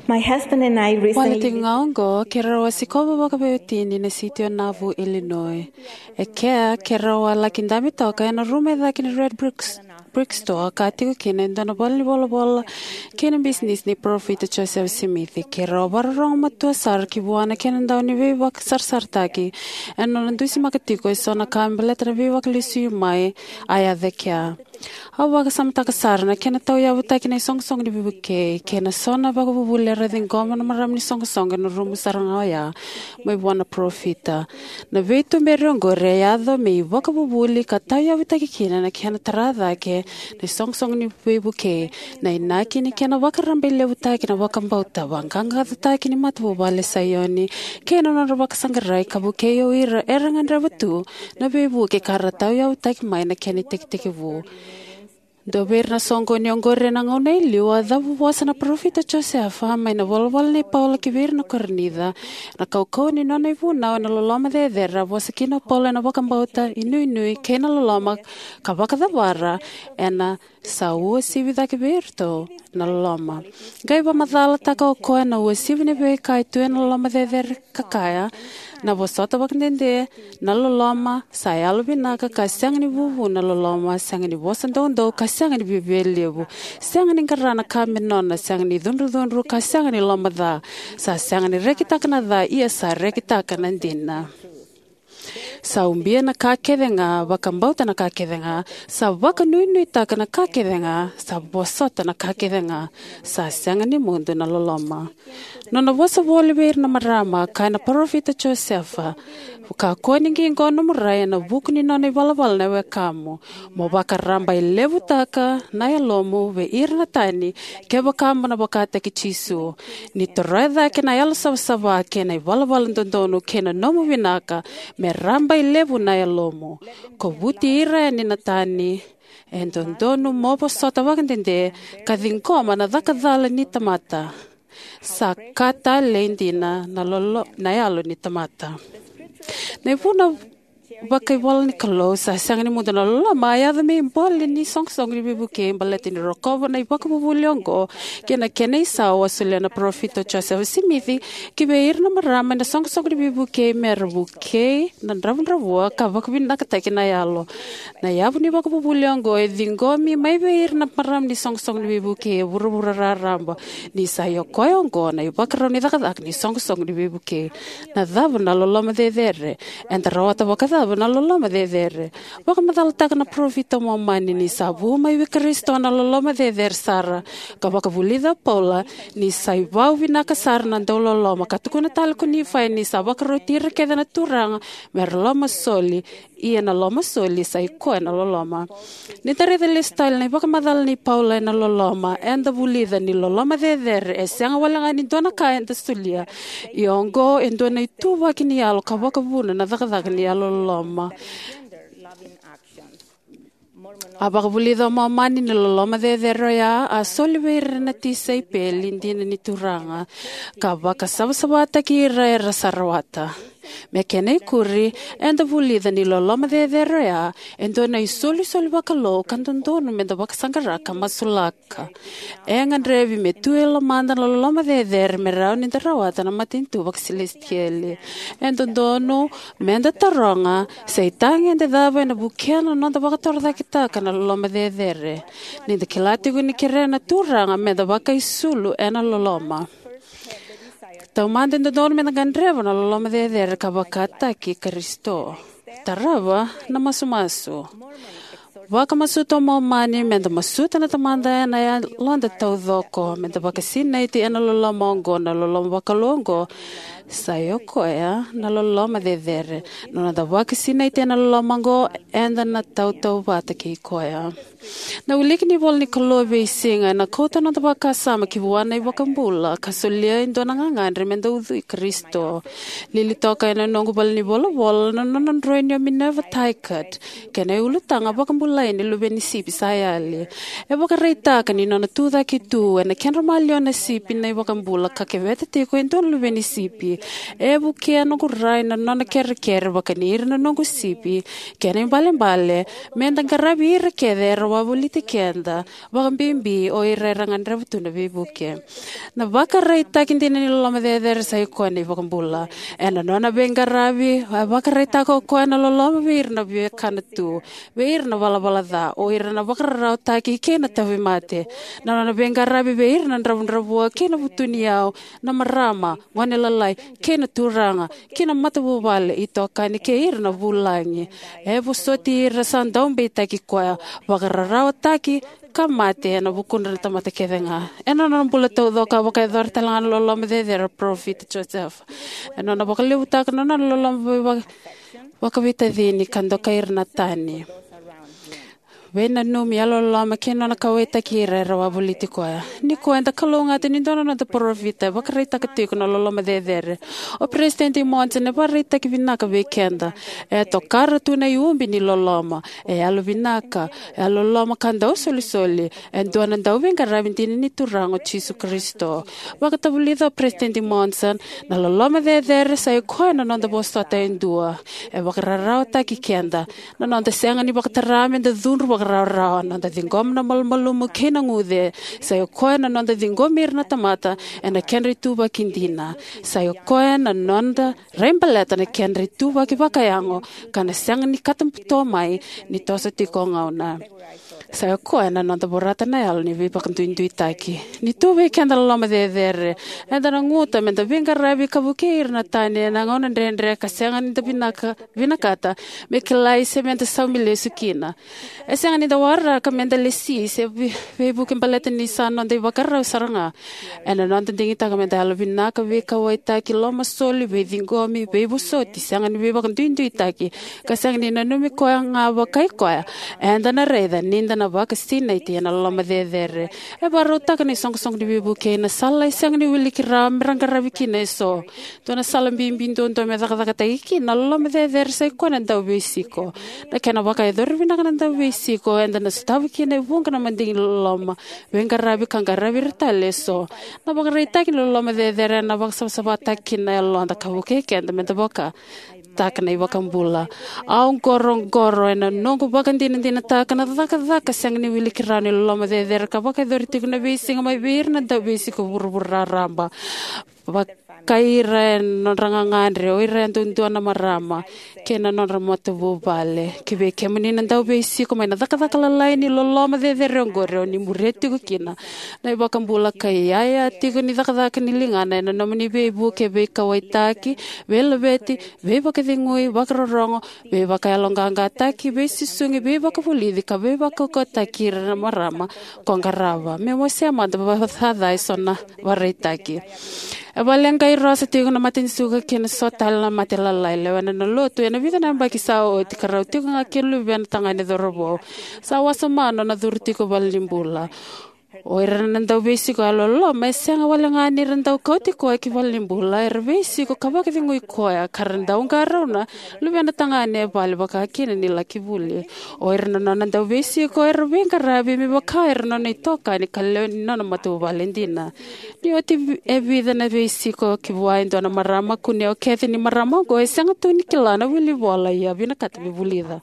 My husband and I Vua na recently tiko ga oqo, keirau a sikova vakaveiwatini na siti o Nauvoo, Illinois. E kea, keirau a laki dabe toka ena rumu e cake ni Red Brick, Brick Store, ka tiko kina e dua na valenivolavola kei na bisinisi ni Parofita Joseph Smith. Keirau a vakarorogo matua sara ki vua na kena dau ni veivakasarasarataki ena nona dusimaka tiko eso na ka me baleta na Veivakalesuimai a yaco e kea. Au vakasamataka sara na kena tauyavutaki na isoqosoqo ni veivukei kei na so na vakavuvuli era ciqoma na marama ni soqosoqo ena rumu sara ga oya mai vua na parofita. Na veituberi oqori e yaco me ivakavuvuli ka tauyavutaki kina na kena tara cake na isoqosoqo ni veivukei, na inaki ni kena vakarabailevutaki na vakabauta, vaqaqacotaki ni matavuvale e Saioni, kei na nodra vakasaqarai ka vukei o ira era gadreva tu na veivuke ka ra tauyavutaki mai na kena itekitekivu. Dua vei ira na soqoni oqori ena gauna e liu a cavuvosa na Parofita Josefa mai na ivola nei Paula ki vei ira na Korinica. Na kaukauwa ni nona ivunau ena loloma cecere, a vosa kina o Paula ena vakabauta, inuinui, kei na loloma, ka vakacavara ena sa uasivi cake vei iratou na loloma. Qai vakamacalataka o koya na uasivi ni veika e tu ena loloma cecere, ka kaya: Na vosota vakadede, na loloma, sa yalovinaka ka sega ni vuvu, na loloma, sega ni vosa doudou ka sega ni viavialevu, sega ni qara na ka me nona, sega ni cudrucudru ka sega ni lomaca, sa sega ni rekitaka na ca, ia sa rekitaka na dina. Sa ubia na ka kece ga, vakabauta na ka kece ga, sa vakanuinuitaka na ka kece ga, sa vosota na ka kece ga, sa sega ni mudu na loloma. Nona vosa voli vei ira na marama, kaya na Parofita Josefa: Kakua ni qiqo nomu rai ena vuku ni nona ivalavala na wekamu, mo vakarabailevutaka na yalomu vei ira na tani, kevaka mo na vakataki Jisu. Ni toroya cake na yalosavasava kei na ivalavala dodonu kei na nomu vinaka, me rabailevu na yalomu. Kovuti ira yani na tani. E dodonu mo vosota vakadede ka ciqoma na caka cala ni tamata. Sa ka talei dina na lolo, na yalo ni tamata. Na ivunau vakaivolanikalou, sa sega ni mudu na loloma, a yaco me ibole ni soqosoqo ni veivukei baleta ni rokova na ivakavuvuli oqo kei na kena isau a solia na Parofita Josefa Simici ki vei ira na marama ena soqosoqo ni veivukei me ra vukei na dravudravua ka vakavinakataki na yalo. Na yavu ni ivakavuvuli oqo e ciqomi mai vei ira na marama ni soqosoqo ni veivukei e vuravura raraba, ni sa i o koya oqo na ivakarau ni cakacaka ni soqosoqo ni veivukei. Na cava na loloma cecere? Eda rawata vakacava na loloma cecere? Vakamacalataka na parofita o Momani ni sa vu mai vei Karisito na loloma cecere sara, ka vakavulica o Paula ni sa ivau vinaka sara na dauloloma, ka tukuna tale ko Nifai ni sa vakaroti ira kece na Turaga me ra lomasoli, ia na lomasoli sa i koya na loloma. Ni da raica lesu tale na ivakamacala nei Paula ena loloma, eda vulica ni loloma cecere e sega walega ni dua na ka eda solia. Ia oqo e dua na ituvaki ni yalo ka vakavuna na cakacaka ni yalololoma. A vakavulica o Momani ni loloma cecere oya a soli vei ira na tisaipeli dina ni Turaga, ka vakasavasavataki ira era sa rawata. Me kena ikuri, eda vulica ni loloma cecere oya e dua na isolisoli vakalou ka dodonu meda vakasaqara ka masulaka. E gadrevi me tu e lomada na loloma cecere me rawa ni da rawata na matanitu vakasilesitieli. E dodonu meda taroga se itagede cava ena vukea na noda vakatorocaketaka na loloma cecere. Ni da kila tiko ni kerea na Turaga meda vakaisulu ena loloma. Taumada e dodonu meda gadreva na loloma cecere ka vakataki Karisito. Tarava na masumasu. Vakamasuta o Momani meda masuta na Tamada ena yaloda taucoko, meda vakasinaiti ena loloma oqo, na loloma vakalou oqo, sa i o koya na loloma cecere. Na noda vakasinaiti ena loloma oqo, eda na tautauvata kei koya. Na wiliki ni ivola ni Kalou e veisiga ena kauta noda vakasama ki vua na iVakabula ka solia e dua na gagadre meda ucui Karisito. Lili toka ena noqu valenivolavola na nona droini o Minerva Tigard kei na ulutaga vakabula ni luve ni sipi sa yali. E vakaraitaka ni nona tucake tu ena kedra maliwa na sipi na iVakabula ka keveta tiko e dua na luve ni sipi. E vukea noqu rai na nona kerekere vakani ira na noqu sipi. Kena ibalebale, meda qaravi ira kece era wavoliti keda, vakabibi o ira era gadreva tu na veivuke. Na vakaraitaki dina ni loloma cecere sa i koya na iVakabula. Ena nona veiqaravi, a vakaraitaka o koya na loloma vei ira na viwekana tu, vei ira na valavala ca, o ira na vakararawataki kei na tauvimate. Na nona veiqaravi vei ira na dravudravua kei na vutuniyau, na marama, gone lalai, kei na turaga, kei na matavuvale, itokani kei ira na vulagi. E vosoti ira sa daubeitaki koya, vakararawataki, ka mate ena vukudra na tamata kece ga. Ena nona bula taucoko a vakayacora tale ga na loloma cecere o parofita Josefa. Ena nona vakalevutaka na nona loloma vei vaka-, vakaveitacini ka dokai ira na tani. Veinanumi, yalololoma kei na nona kauwaitaki ira era wavoliti koya. Nikua eda kalougata ni dua na noda parofita e vakaraitaka tiko na loloma cecere. O Peresitedi Monson e vakaraitaki vinaka vei keda. E tokara tu na iubi ni loloma. E yalovinaka, e yalololoma ka dausolisoli. E dua na dauveiqaravi dina ni Turaga o Jisu Karisito. Vakatavulica o Peresitedi Monson, na loloma cecere sa i koya na noda vosota e dua. E vakararawataki keda. Na noda sega ni vakatara meda cudru vakarawarawa, noda ciqoma na malumalumu kei na guce. Sa i koya na noda ciqomi ira na tamata ena kedra ituvaki dina. Sa i koya na noda raibaleta na kedra ituvaki vakayago ka na sega ni katabuto mai ni toso tiko o gauna. Sa i koya na noda vorata na yalo ni veivakaduiduitaki. Ni tu vei keda na loloma cecere, eda na guta meda veiqaravi ka vukei ira na tani ena gauna dredre ka sega ni da vinaka, vinakata me kilai se meda saumi lesu kina. E sega ni da waraka meda lesi se vei-, veivuke baleta ni sa noda ivakarau sara ga. Ena noda digitaka meda yalovinaka, veikauwaitaki, lomasoli, veiciqomi, veivosoti, sega ni veivakaduiduitaki, ka sega ni nanumi koya ga vakai koya, eda na raica ni da na vakasinaiti ena loloma cecere. E vakarautaka na isoqosoqo ni veivukei na sala e sega ni wiliki rawa me ra qaravi kina eso. Dua na sala bibi duadua me cakacakataki kina na loloma cecere sa i koya na dauveisiko. Na kena vakayacori vinaka na dauveisiko, eda na sotava kina e vuqa na madigi ni loloma, veiqaravi ka qaravi ira tale eso. Na vakaraitaki ni loloma cecere ena vakasavasavataki kina na yaloda ka vukei keda meda vakataka na iVakabula. Au qoroqoro ena noqu vakadinadinataka na cakacaka sega ni wiliki rawa ni loloma cecere ka vakayacori tiko na veisiga mai vei ira na dauveisiko vuravura raraba. Vakai ira ena nodra gagadre, o ira yadudua na marama kei na nodra matavuvale. Ki vei kemuni na dauveisiko mai na cakacaka lalai ni loloma cecere oqori, o ni muria tiko kina na iVakabula ka iyaya tiko ni cakacaka ni ligana ena nomuni veivuke, veikauwaitaki, veilaveti, veivakacegui, vakarorogo, veivakayaloqaqataki, veisusugi, veivakavulici ka veivakaukauwataki ira na marama ko qarava. Meu wasea mada vakacaca eso na vakaraitaki. E vakaleqai rosa tiko na mate ni suka kei na so tale na mate lalai. Lewena na lotu ena vica na yabaki sa oti ka rau tiko ga kina luvena tagane cauravou. Sa wasoma nona curu tiko valenibula. O ira na dauveisiko yalololoma e sega wale ga ni ra dau kauti koya ki valenibula, era veisiko ka vakacegui koya ka ra dau qarauna luvena tagane e vale vaka kina ni laki vuli. O ira na nona dauveisiko era veiqaravi me vaka era nona itokani ka lewe ni nona matavuvale dina. Ni oti vi-, e vica na veisiko ki vua e dua na marama, kunea o Kathy ni marama oqo e sega tu ni kila na wilivola, ia vinakata me vulica.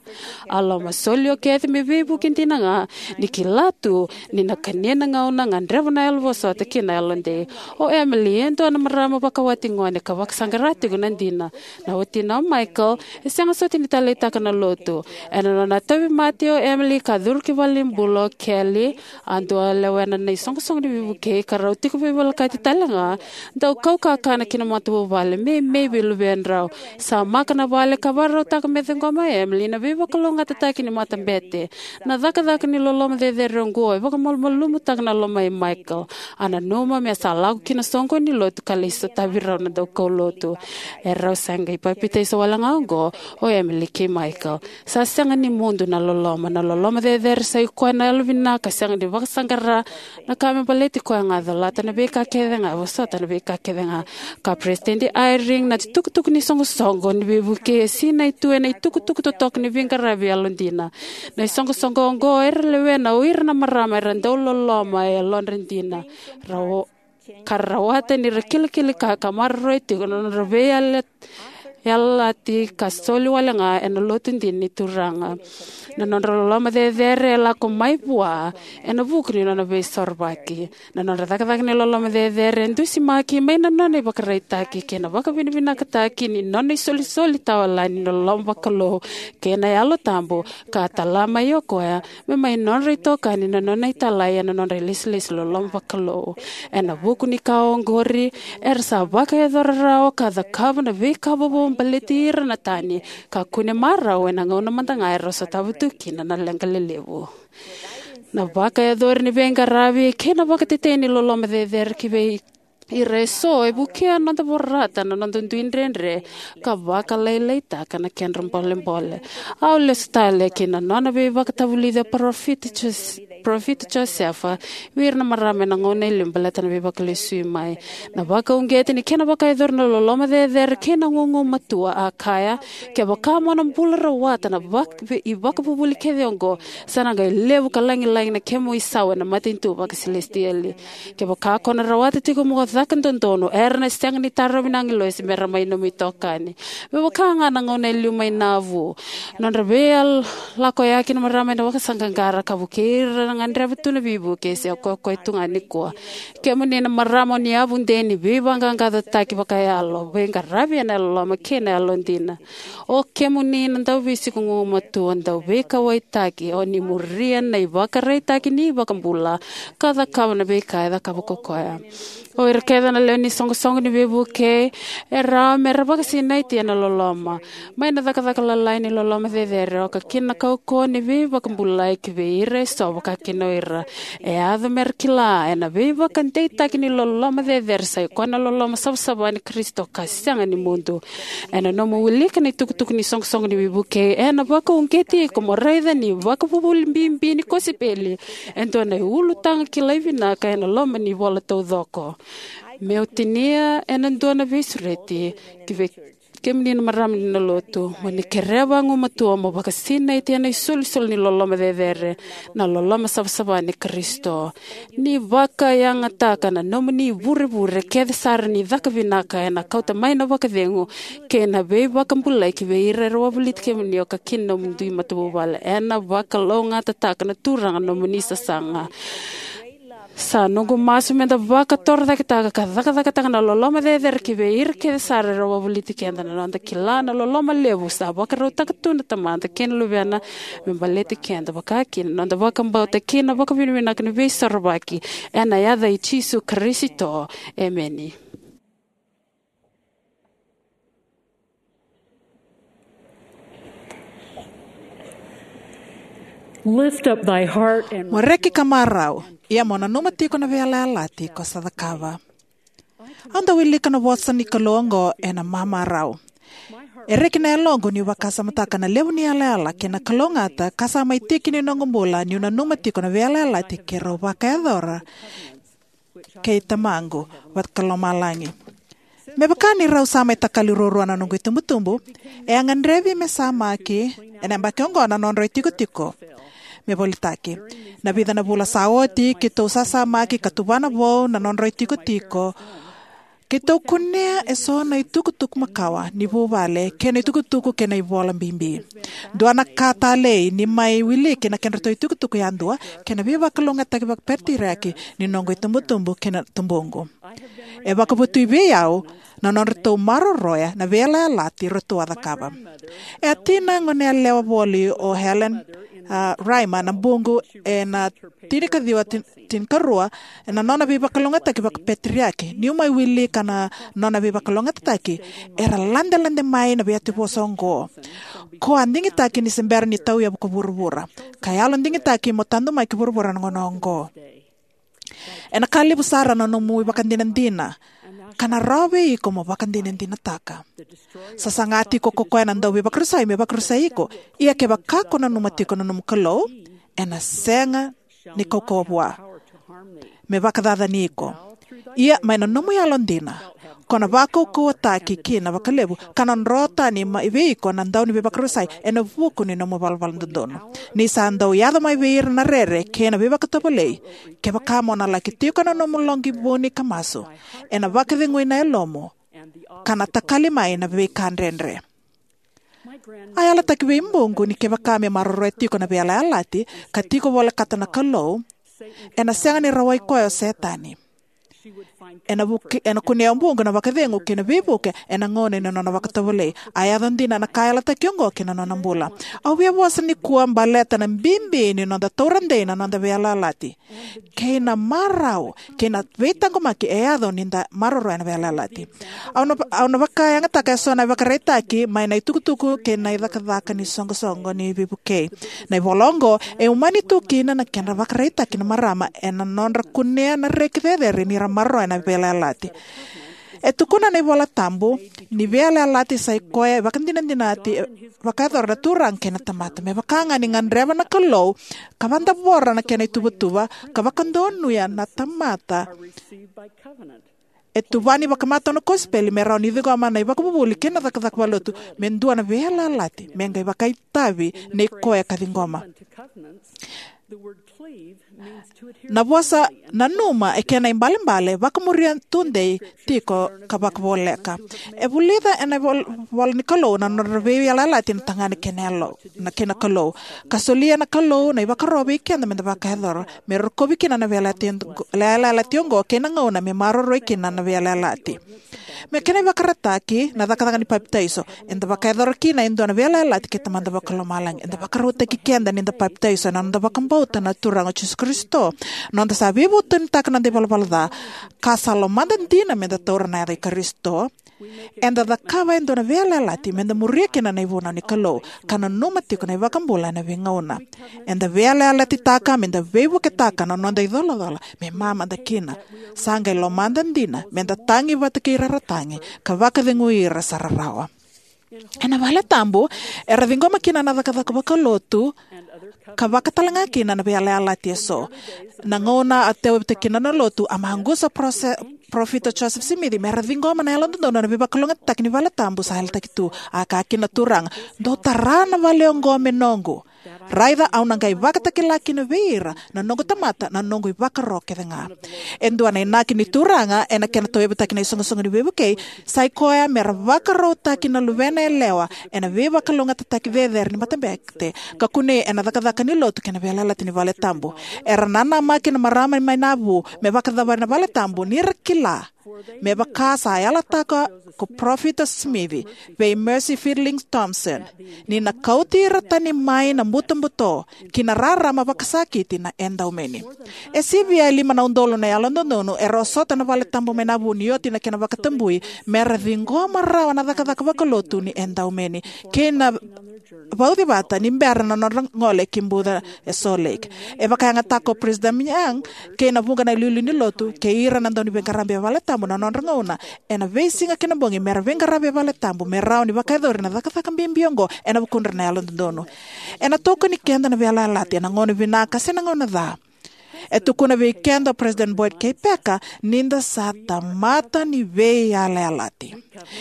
A lomasoli o Kathy me veivuke dina ga, ni kila tu ni na kania na gauna, gadreva na yalo vosota kei na yalodei. O Emily e dua na marama vakawati gone ka vakasaqara tiko na dina. Na watina o Michael e sega soti ni taleitaka na lotu. Ena nona tauvimate o Emily ka curu ki valenibula o Kelly, a dau lewena na isoqosoqo ni veivukei ka rau tiko veivolekati tale ga, dau kau kakana ki na matavuvale, meimei vei luvedrau. Samaka na vale ka vakarautaka me ciqoma o Emily na veivakalougatataki ni matabete. Na cakacaka ni loloma cecere oqo e vakamalumalumutaka na lomai Michael. A nanuma me sa lako ki na soqo ni lotu ka lai sotavi rau na daukaulotu. E rau sa qai papitaiso wale ga oqo o Emily kei Michael. Sa sega ni mudu na loloma. Na loloma cecere sa i koya na yalovinaka, sega ni vakasaqara na ka me baleti koya ga, colata na veika kece ga, vosota na veika kece ga. Ka Peresitedi Eyring, na itukutuku ni soqosoqo ni veivukei e sinai tu ena itukutuku totoka ni veiqaravi yalodina. Na isoqosoqo oqo era lewena o ira na marama era dau loloma e yalodra dina, rau ka rawata ni ra kilikili ka, ka maroroi tiko na nodra veiyalayalati ka soli wale ga ena lotu dina ni Turaga. Na nodra loloma cecere e lako mai vua ena vuku ni nona veisorovaki. Na nodra cakacaka ni loloma cecere e dusimaki mai na nona ivakaraitaki kei na vakavinavinakataki ni nona isolisoli tawayalani ni loloma vakalou kei na Yalo Tabu, ka tala mai o koya me mai nodra itokani na nona italai ena nodra ilesilesi loloma vakalou. Ena vuku ni ka oqori, era sa vakayacora rawa ka cakava na veika vovou baleti ira na tani ka kune marau ena gauna mada ga era sotava tu kina na leqa lelevu. Na vakayacori ni veiqaravi kei na vakatetei ni loloma cecere ki vei ira eso e vukea na noda vorata na noda dui dredre ka vakalailaitaka na kedra bolebole. Au lesu tale ki na nona veivakatavulici o Parofita Jos-, Parofita Josefa vei ira na marama ena gauna e liu baleta na veivakalesui mai. Na vakauqeti ni kena vakayacori na loloma cecere kei na gugumatua, a kaya, kevaka mo na bula rawata na vak-, ve-, ivakavuvuli kece oqo, sa na qai levu ka lagilagi na kemu isau ena matanitu vakasilesitieli. Kevaka ko na rawata tiko mo caka dodonu, era na sega ni tarovi na agilosi me ra mai nomu itokani. Me vaka ga na gauna e liu mai Navu, nodra veiyalakoyaki na marama ena vakasaqaqara ka vukei ira na gadreva tu na veivuke se o koya tu ga nikua. Kemuni na marama o ni yavudei ni veivaqaqacotaki vakayalo, veiqaravi ena yaloloma kei na yalodina. O kemuni na dauveisiko gugumatua, dauveikauwaitaki, o ni muria na ivakaraitaki ni iVakabula ka cakava na veika e cakava ko koya. O ira kece na lewe ni soqosoqo ni veivukei e rawa me ra vakasinaiti ena loloma. Mai na cakacaka lalai ni loloma cecere e oka kina na kaukauwa ni veivakabulai ki vei ira eso, vaka kina o ira e yaco me ra kila ena veivakadeitaki ni loloma cecere sa i koya na loloma savasava ni Karisito ka sega ni mudu. Ena nomu wilika na itukutuku ni soqosoqo ni veivukei, ena vakauqeti iko mo raica ni vakavuvuli bibi ni kosipeli e dua na ulutaga kilai vinaka ena loma ni ivola taucoko. Meu tinia ena dua na veisureti ki vei kemuni na marama ni lotu, mo ni kerea vagumatua mo vakasinaiti ena isolisoli ni loloma cecere, na loloma savasava ni Karisito. Ni vakayagataka na nomuni ivurevure kece sara ni caka vinaka, ena kauta mai na vakacegu kei na veivakabulai ki vei ira era wavoliti kemuni, oka kina nomuni dui matavuvale. Ena vakalougatataka na Turaga na nomuni sasaga. Sa noqu masu meda vakatorocaketaka ka cakacakataka na loloma cecere ki vei ira kece sara era wavoliti keda. Na noda kila na loloma levu sa vakarautaka tu na Tamada kei na Luvena me baleti keda, vaka kina na noda vakabauta kei na vakavinavinaka ni Veisorovaki, ena yaca i Jisu Karisito. Emeni. Lift up thy heart and Mo reki ka marau, ia mo nanuma tiko na veiyalayalati ko sa cakava. Au dau wilika na vosa ni Kalou oqo ena mamarau. E reki na yaloqu niu vakasamataka na levu ni yalayala kei na kalougata ka sa mai tiki ni noqu bula niu nanuma tiko na veiyalayalati keirau vakayacora kei Tamaqu Vakalomalagi. Me vaka ni rau sa mai takali ruarua na noqu itubutubu, e a gadrevi me samaki ena yabaki oqo na nodrau itikotiko me volitaki. Na vica na vula sa oti, keitou sasamaki ka tuvana vou na nodrau itikotiko. Keitou kunea eso na itukutuku makawa ni vuvale kei na itukutuku kei na ivola bibi. Dua na ka talei ni mai wiliki na kedratou itukutuku yadua kei na veivakalougatataki vakapeteriaki ni noqu itubutubu kei na tubuqu. E vakavotui vei au na nodratou maroroya na veiyalayalati ratou a cakava. E a tina goneyalewa voli o Helen, a, Rymer na buqu ena tinikaciwa tin-, tinikarua, ena nona veivakalougatataki vakapeteriaki. Niu mai wilika na nona veivakalougatataki, era ladelade mai na veiyatevosa oqo. Ko a digitaki ni se bera ni tauyavu ko vuravura, ka yalo digitaki mo tadu mai ki vuravura na gauna oqo. Ena ka levu sara na nomu ivakadinadina, ka na rawa vei iko mo vakadinadinataka. Sa saga tiko ko koya na dauveivakarusai me vakarusai iko. Ia kevaka ko nanuma tiko na nomu Kalou, ena sega ni kaukauwa vua me vakacacani iko. Ia mai na nomu yalodina ko na vakaukauwataki kina vakalevu, ka na dro tani mai vei iko na dauniveivakarusai ena vuku ni nomu valavala dodonu. Ni sa dau yaco mai vei ira na rere kei na veivakatovolei, kevaka mo na laki tiko na nomu loqi vuni ka masu, ena vakacegui na yalomu, ka na takali mai na veika dredre. A yalataki vei buqu ni kevaka me maroroya tiko na veiyalayalati ka tiko volekata na Kalou, ena sega ni rawai koya o Setani. Ena vuke, ena kunea o buqu na vakacegu kei na veivuke ena gauna ni nona vakatovolei. A yaco dina na ka a yalataki oqo ki na nona bula. Au via vosa nikua baleta na bibi ni noda taura dei na noda veiyalayalati kei na marau kei na veitaqomaki e yaco ni da maroroya na veiyalayalati. Au na, au na vakayagataka eso na ivakaraitaki mai na itukutuku kei na icakacaka ni soqosoqo ni veivukei. Na ivola oqo e umani tu kina na kedra vakaraitaki na marama ena nodra kunea na reki cecere ni ra maroroya na veiyalayalati. E tukuna na iVola Tabu ni veiyalayalati sa i koya e vakadinadinati, e vakayacora na Turaga kei na tamata. Me vaka ga ni gadreva na Kalou ka vadavora na kena ituvatuva ka vakadonuya na tamata, e tuvani vakamatau na kosipeli me rawa ni ciqoma na ivakavuvuli kei na cakacaka vakalotu me dua na veiyalayalati me qai vakaitavi nei koya ka ciqoma. Na vosa nanuma e kena ibalebale vakamuria tudei tiko ka vakavoleka. E vulica ena vol-, vola ni Kalou na nodra veiyalayalati na tagane kei na yalo, na kei na Kalou, ka solia na Kalou na ivakaro vei keda me da vakayacora me rokovi kina na veiyalayalati, veiyalayalati oqo kei na gauna me maroroi kina na veiyalayalati. Me kena ivakaraitaki na cakacaka ni papitaiso, eda vakayacora kina e dua na veiyalayalati kei Tamada Vakalomalagi. Eda vakarautaki keda ni da papitaiso ena noda vakabauta na Turaga o Jisu Karisito, noda sa veivutunitaka na noda ivalavala ca, ka sa lomada dina me da taura na yaca i Karisito. Eda cakava e dua na veiyalayalati me da muria kina na ivunau ni Kalou ka nanuma tiko na iVakabula ena veigauna. Eda veiyalayalati taka me da veivuketaka na noda icolacola me mamada kina. Sa qai lomada dina me da tagi vata kei ira era tagi ka vakacegui ira sa rarawa. Ena vale tabu era ciqoma kina na cakacaka vakalotu ka vaka talega kina na veiyalayalati eso. Na gauna a tauyavutaki kina na lotu, a maqusa o parofita Joseph Smith me ra ciqoma na yalododonu ena veivakalougatataki ni vale tabu sa yalataki tu. A kaya kina na Turaga, "Dou tara na vale oqo me noqu. Raica au na qai vakatakila kina vei ira na noqu tamata na noqu ivakaro kece ga." E dua na inaki ni Turaga ena kena tauyavutaki na isoqosoqo ni veivukei sa i koya me ra vakarautaki na luvena yalewa ena veivakalougatataki cecere ni matabete ka kunei ena cakacaka ni lotu kei na veiyalayalati ni vale tabu. Era nanamaki na marama mai Navu me vakacavari na vale tabu ni ra kila, me vaka sa yalataka ko Parofita Smith vei Mercy Fielding Thompson, ni na kauti ira tani mai na butobuto ki na rarama vakasakiti na edaumeni. E sivia e lima na udolu na yalododonu era osota na vale tabu mai Navu ni oti na kena vakatabui me ra ciqoma rawa na cakacaka vakalotu ni edaumeni kei na vauci vata ni bera na nodra gole ki buca e Salt Lake. E vakayagataka ko President Young kei na vuqa na iliuliu ni lotu kei ira na dauniveiqaravi e vale tabu na nodra gauna ena veisiga kei na bogi me ra veiqaravi e vale tabu me rawa ni vakayacori na cakacaka bibi oqo ena vukudra na yalododonu. Ena tokoni keda na veiyalayalati ena gauna vinaka se na gauna ca. E tukuna vei keda o President Boyd K. Packer ni da sa tamata ni veiyalayalati.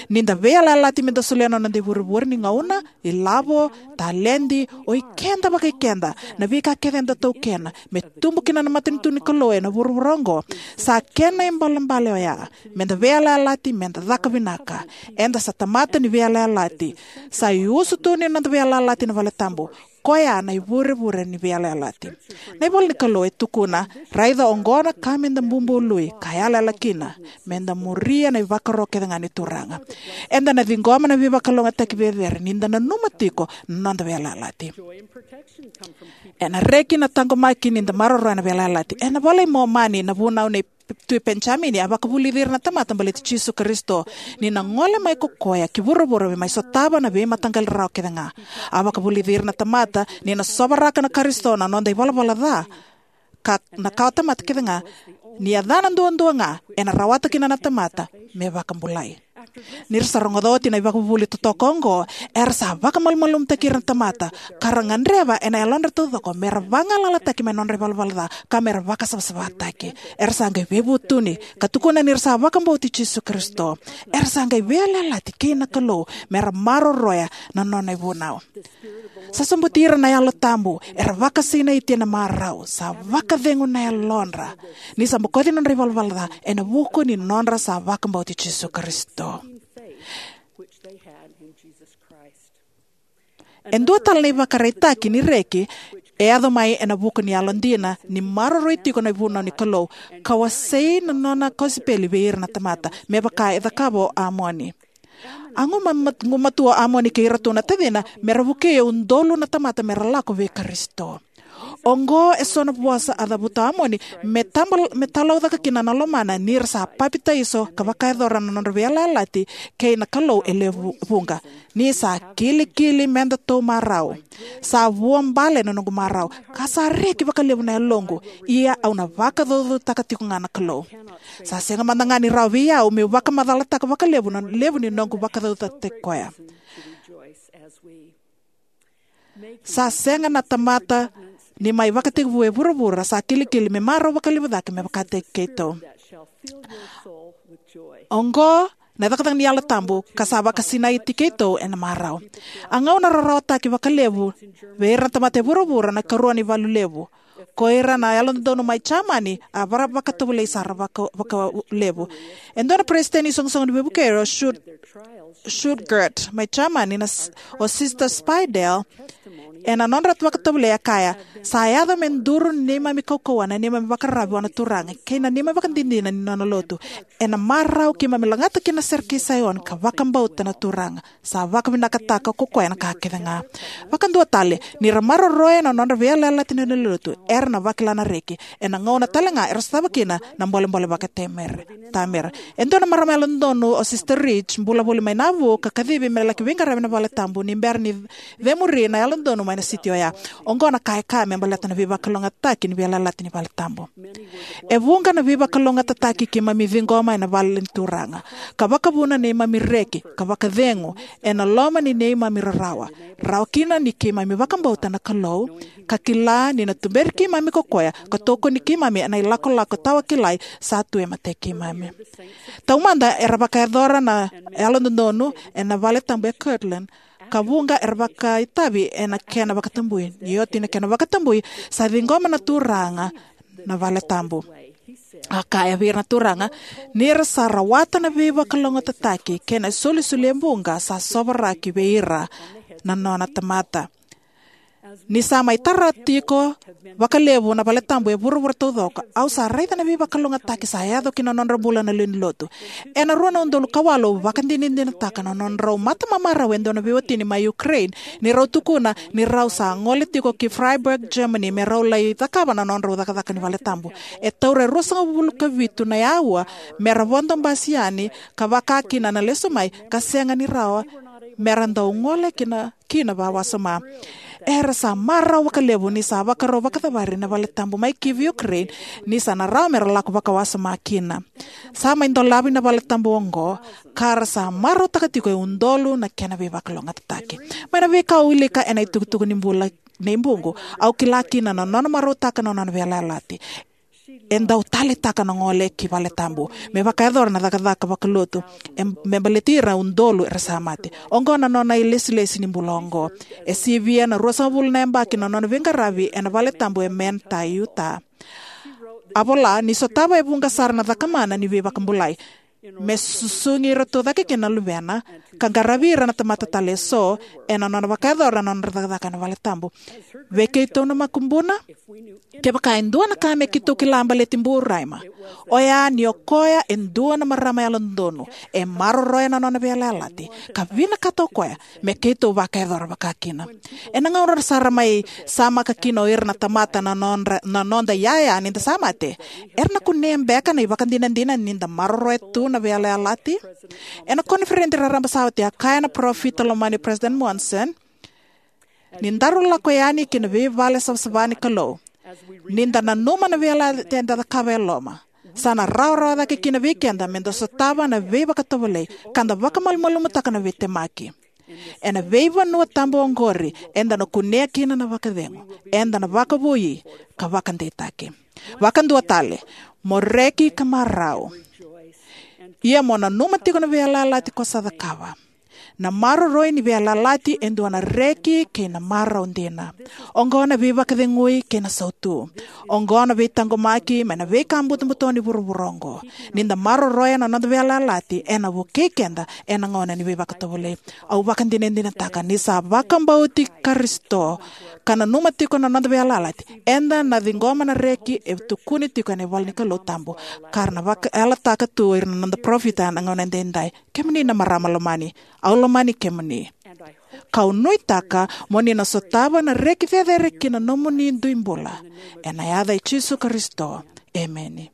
Ni da veiyalayalati me da solia na noda ivurevure ni gauna, ilavo, taledi, o ikeda vakaikeda, na veika kece eda taukena me tubu kina na matanitu ni Kalou ena vuravura oqo. Sa kena ibalebale oya me da veiyalayalati, me da caka vinaka. Eda sa tamata ni veiyalayalati. Sa iusutu ni noda veiyalayalati na vale tabu. Koya na ivurevure ni veiyalayalati. Na ivola ni Kalou e tukuna, "Raica oqo na ka me da bubului ka yalayala kina, me da muria na ivakaro kece ga ni Turaga." Eda na ciqoma na veivakalougatataki cecere ni da nanuma tiko na noda veiyalayalati. Ena reki na taqomaki ni da maroroya na veiyalayalati. Ena iVola i Momani na vunau nei Tui Penijamini a vakavulici ira na tamata baleti Jisu Karisito ni na gole mai ko koya ki vuravura me mai sotava na veimataqali rarawa kece ga. A vakavulici ira na tamata ni na sovaraka na Karisito na noda ivalavala ca ka na kawa tamata kece ga. Ni yacana duadua ga ena rawata kina na tamata me vakabulai. Ni ra sa rogoca oti na ivakavuvuli totoka oqo, era sa vakamalumalumutaki ira na tamata, ka ra gadreva ena yalodra taucoko me ra vagalalataki mai na nodra ivalavala ca ka me ra vakasavasavataki. Era sa qai veivutuni ka tukuna ni ra sa vakabauti Jisu Karisito. Era sa qai veiyalayalati kei na Kalou me ra maroroya na nona ivunau. Sa sobuti ira na Yalo Tabu, era vakasinaiti ena marau, sa vakacegu na yalodra. Ni sa bokoci na nodra ivalavala ca ena vuku ni nodra sa vakabauti Jisu Karisito. E dua tale na ivakaraitaki ni reki e yaco mai ena vuku ni yalodina ni maroroi tiko na ivunau ni Kalou, ka wasei na nona kosipeli vei ira na tamata, me vaka e cakava o Amoni. A guma-, gumatua o Amoni kei iratou na tacina me ra vukei e udolu na tamata me ra lako vei Karisito. Oqo eso na vosa a cavuta o Amoni me taba-, me talaucaka kina na lomana ni ra sa papitaiso ka vakayacora na nodra veiyalayalati kei na Kalou e lewe vuqa. Ni sa kilikili me datou marau, sa vuabale na noqu marau, ka sa reki vakalevu na yaloqu, ia au na vakacaucautaka tiko ga na Kalou. Sa sega mada ga ni rawa vei au meu vakamacalataka vakalevu na levu ni noqu vakacaucautaki koya. Sa sega na tamata ni mai vakatekivu e vuravura sa kilikili me marau vakalevu cake me vakataki keitou. Oqo na cakacaka ni Yalo Tabu ka sa vakasinaiti keitou ena marau. A gauna rarawataki vakalevu vei ira na tamata e vuravura na ikarua ni valu levu. Ko ira na yalododonu mai Jamani a vara vakatovolei sara vaka-, vakalevu. E dua na peresitedi ni soqosoqo ni veivukei, o Stuart, Stuttgart, mai Jamani, na s-, o Sister Speidel, ena nodra vakatovolei a kaya, sa yaco me duru ni neimami kaukauwa na neimami vakararavi vua na Turaga kei na neimami vakadinadina ni nona lotu. Ena marau keimami lagata kina na sere kei Saioni ka vakabauta na Turaga. Sa vakavinakataka ko koya na ka kece ga. Vakadua tale, ni ra maroroya na nodra veiyalayalati na lewe ni lotu, era na vakila na reki. Ena gauna tale ga era sotava kina na bolebole vakatamera. E dua na marama yalododonu, o Sister Rich, bula voli mai Navu, ka kacivi me laki veiqaravi ena vale tabu ni bera ni cemuri na yalododonu mai na siti oya. Oqo na ka e kaya me baleta na veivakalougatataki ni veiyalayalati ni vale tabu. E vuqa na veivakalougatataki keimami ciqoma ena vale ni Turaga, ka vakavuna neimami reki ka vakacegu ena loma ni neimami rarawa, rawa kina ni keimami vakabauta na Kalou, ka kila ni na tuberi keimami ko koya ka tokoni keimami ena ilakolako tawakilai sa tu e matai keimami. Taumada era vakayacora na yalododonu ena vale tabu e Kirtland, ka vuqa era vakaitavi ena kena vakatabui. Ni oti na kena vakatabui, sa ciqoma na Turaga na vale tabu. A kaya vei ira na Turaga, ni ra sa rawata na veivakalougatataki kei na isolisoli e vuqa sa sovaraki vei ira na nona tamata. Ni sa mai tara tiko vakalevu na vale tabu e vuravura taucoko, au sa raica na veivakalougatataki sa yaco ki na nodra bula na lewe ni lotu. Ena rua na udolu ka walu au vakadinadinataka na nodrau matamamarau e dua na veiwatini mai Ukraine, ni rau tukuna ni rau sa gole tiko ki Freiburg, Germany, me rau lai cakava na nodrau cakacaka ni vale tabu. E taura e ruasagavulu ka vitu na aua me ra vodo basi yani ka vaka kina na lesu mai, ka sega ni rawa me ra dau gole kina kina vakawasoma. Era sa marau vakalevu ni sa vakarau vakacavari na vale tabu mai Kyiv, Ukraine, ni sa na rawa me ra lako vakawasoma kina. Sa mai dolavi na vale tabu oqo, ka ra sa marautaka tiko e udolu na kena veivakalougatataki. Mai na veika au wilika ena itukutuku ni bula nei Buqu, au kila kina na nona marautaka na nona veiyalayalati. E dau taleitaka na gole ki vale tabu me vakayacora na cakacaka vakalotu, e, me baleti ira udolu era sa mate. Oqo na nona ilesilesi ni bula oqo. E sivia na ruasagavulu na yabaki na nona veiqaravi ena vale tabu e Manti, Utah. A vola ni sotava e vuqa sara na cakamana ni veivakabulai, me susugi iratou cake kina na luvena, ka qaravi ira na tamata tale eso, ena nona vakayacora na nodra cakacaka ena vale tabu. Vei keitou na makubuna, kevaka e dua na ka me keitou kila baleti Bu Reimer, oya ni o koya e dua na marama yalododonu, e maroroya na nona veiyalayalati, ka vinakata o koya me keitou vakayacora vaka kina. Ena gauna sara mai samaka kina o ira na tamata na nodra, na noda iyaya ni da sa mate, era na kunea beka na ivakadinadina ni da maroroya tu na veiyalayalati? Ena koniferedi raraba sa oti a kaya na parofita lomani President Monson, ni daru lako yani ki na veivale savasava ni Kalou, ni da nanuma na veiyalayalati eda cakava e loma, Sa na rawarawa cake kina vei keda me da sotava na veivakatovolei ka da vakamalumalumutaka na veitemaki. Ena veivanua tabu oqori eda na kunea kina na vakacegu, eda na vakavoui, ka vakadeitaki. Vakadua tale, mo reki ka marau. Ia mo nanuma tiko na veiyalayalati ko sa cakava. Na maroroi ni veiyalayalati e dua na reki kei na marau dina. Oqo na veivakacegui kei na sautu. Oqo na veitaqomaki mai na veika butobuto ni vuravura oqo. Ni da maroroya na noda veiyalayalati, ena vukei keda ena gauna ni veivakatovolei. Au vakadinadinataka ni sa vakabauti Karisito ka nanuma tiko na noda veiyalayalati, eda na ciqoma na reki e tukuni tiko ena ivola ni Kalou tabu, ka ra na vakayalataka tu o ira na noda parofita ena gauna edaidai. Kemuni na marama lomani, au lomani kemuni. Kau nuitaka mo ni na sotava na reki cecere ki na nomuni dui bula. Ena yaca i Jisu Karisito. Emeni.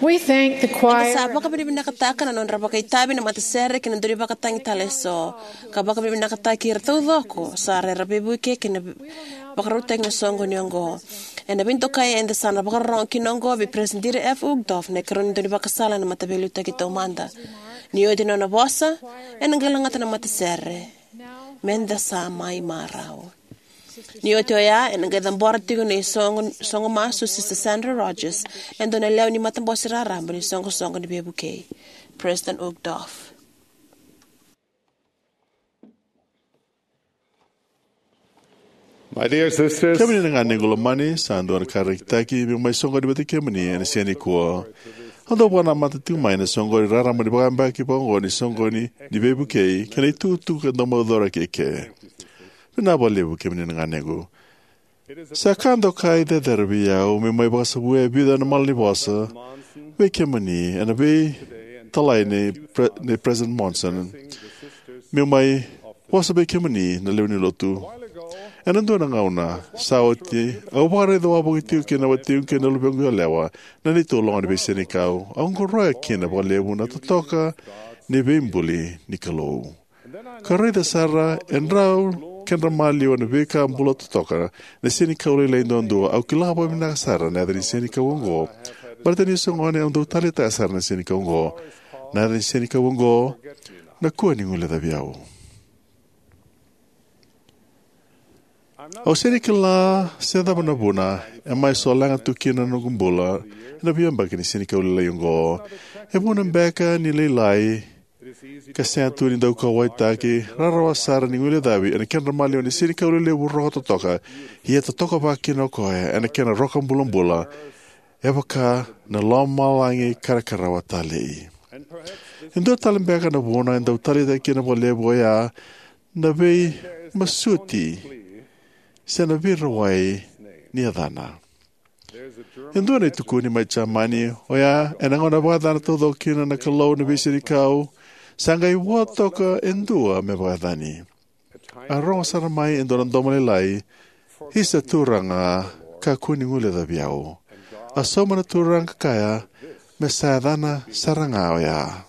We thank the choir. Eda sa vakavinavinakataka na nodra vakaitavi na matasere kei na dau ni vakatagi tale eso, ka vakavinavinakataki ira taucoko sa raica na veivuke kei na vakarautaki na soqoni oqo. Ena veidokai eda sa na vakarorogo kina oqo vei Peresitedi F. Uchtdorf, na ikarua ni daunivakasala ena Mataveiliutaki Taumada. Ni oti na nona vosa, ena qai lagata na matasere. Meda sa mai marau. Ni oti oya, ena qai cabora tiko na isoqo, soqo masu o Sister Sandra Rogers, e dua na lewe ni matabose raraba ni isoqosoqo ni veivukei, President Uchtdorf. My dear sisters, kemuni na ganequ lomani, sa dua na ka rekitaki meu mai soqoni vata kei kemuni ena siga nikua. Au dau vakanamata tiko mai na soqoni raraba ni vakayabaki vakaoqo ni soqoni ni veivukei kei na itukutuku ka dau maucora kei ke. Vinaka vakalevu kemuni na ganequ. Sa ka dokai cecere vei au meu mai vakasavuya e vica na malanivosa vei kemuni ena veitalai nei Pre-, nei President Monson. Meu mai vosa vei kemuni na lewe ni lotu. Ena dua na gauna sa oti, au vakaraica wavoki tiko kei na watiqu kei na luvequ yalewa na neitou loga ni veisenikau. Au qoroya kina vakalevu na totoka ni veibuli ni Kalou. Ka raica sara e drau kedra maliwa na veika bula totoka, na senikau lailai duadua. Au kila vakavinaka sara na yaca ni senikau oqo, baleta niu se gone au dau taleitaka sara na senikau oqo. Na yaca ni senikau oqo, na kua ni guilecavi au. Au sega ni kila se cava na vuna e mai solega tu kina na noqu bula ena veiyabaki ni senikau lailai oqo. E vuna beka ni lailai ka sega tu ni dau kauwaitaki, rarawa sara ni guilecavi ena kedra maliwa na senikau lelevu roka totoka, ia e totoka vaka kina o koya ena kena roka bulabula, e vaka na lomalagi karakarawa talei. E dua tale beka na vuna e dau taleitaki kina vakalevu oya na veimasuti se na veirawai ni yacana. E dua na itukuni mai Jamani oya ena gauna e vakayacana taucoko kina na Kalou na veisenikau, sa qai vo toka e dua me vakayacani. A rogo sara mai e dua na domo lailai, "Isa Turaga, kakua ni guilecavi au." A sauma na Turaga ka kaya, "Me sa yacana sara ga oya."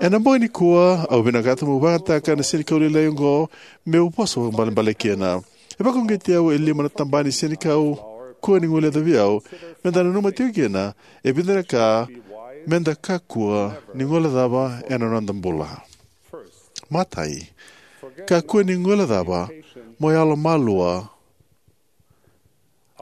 Ena bogi nikua, au vinakata meu vakayagataka na senikau lailai oqo meu vosa vakaibalebale kina. E vakauqeti au e lima na tabana ni senikau kua ni guilecavi au, meda nanuma tiko kina e vica na ka meda kakua ni guilecava ena noda bula. Matai, kakua ni guilecava mo yalomalua.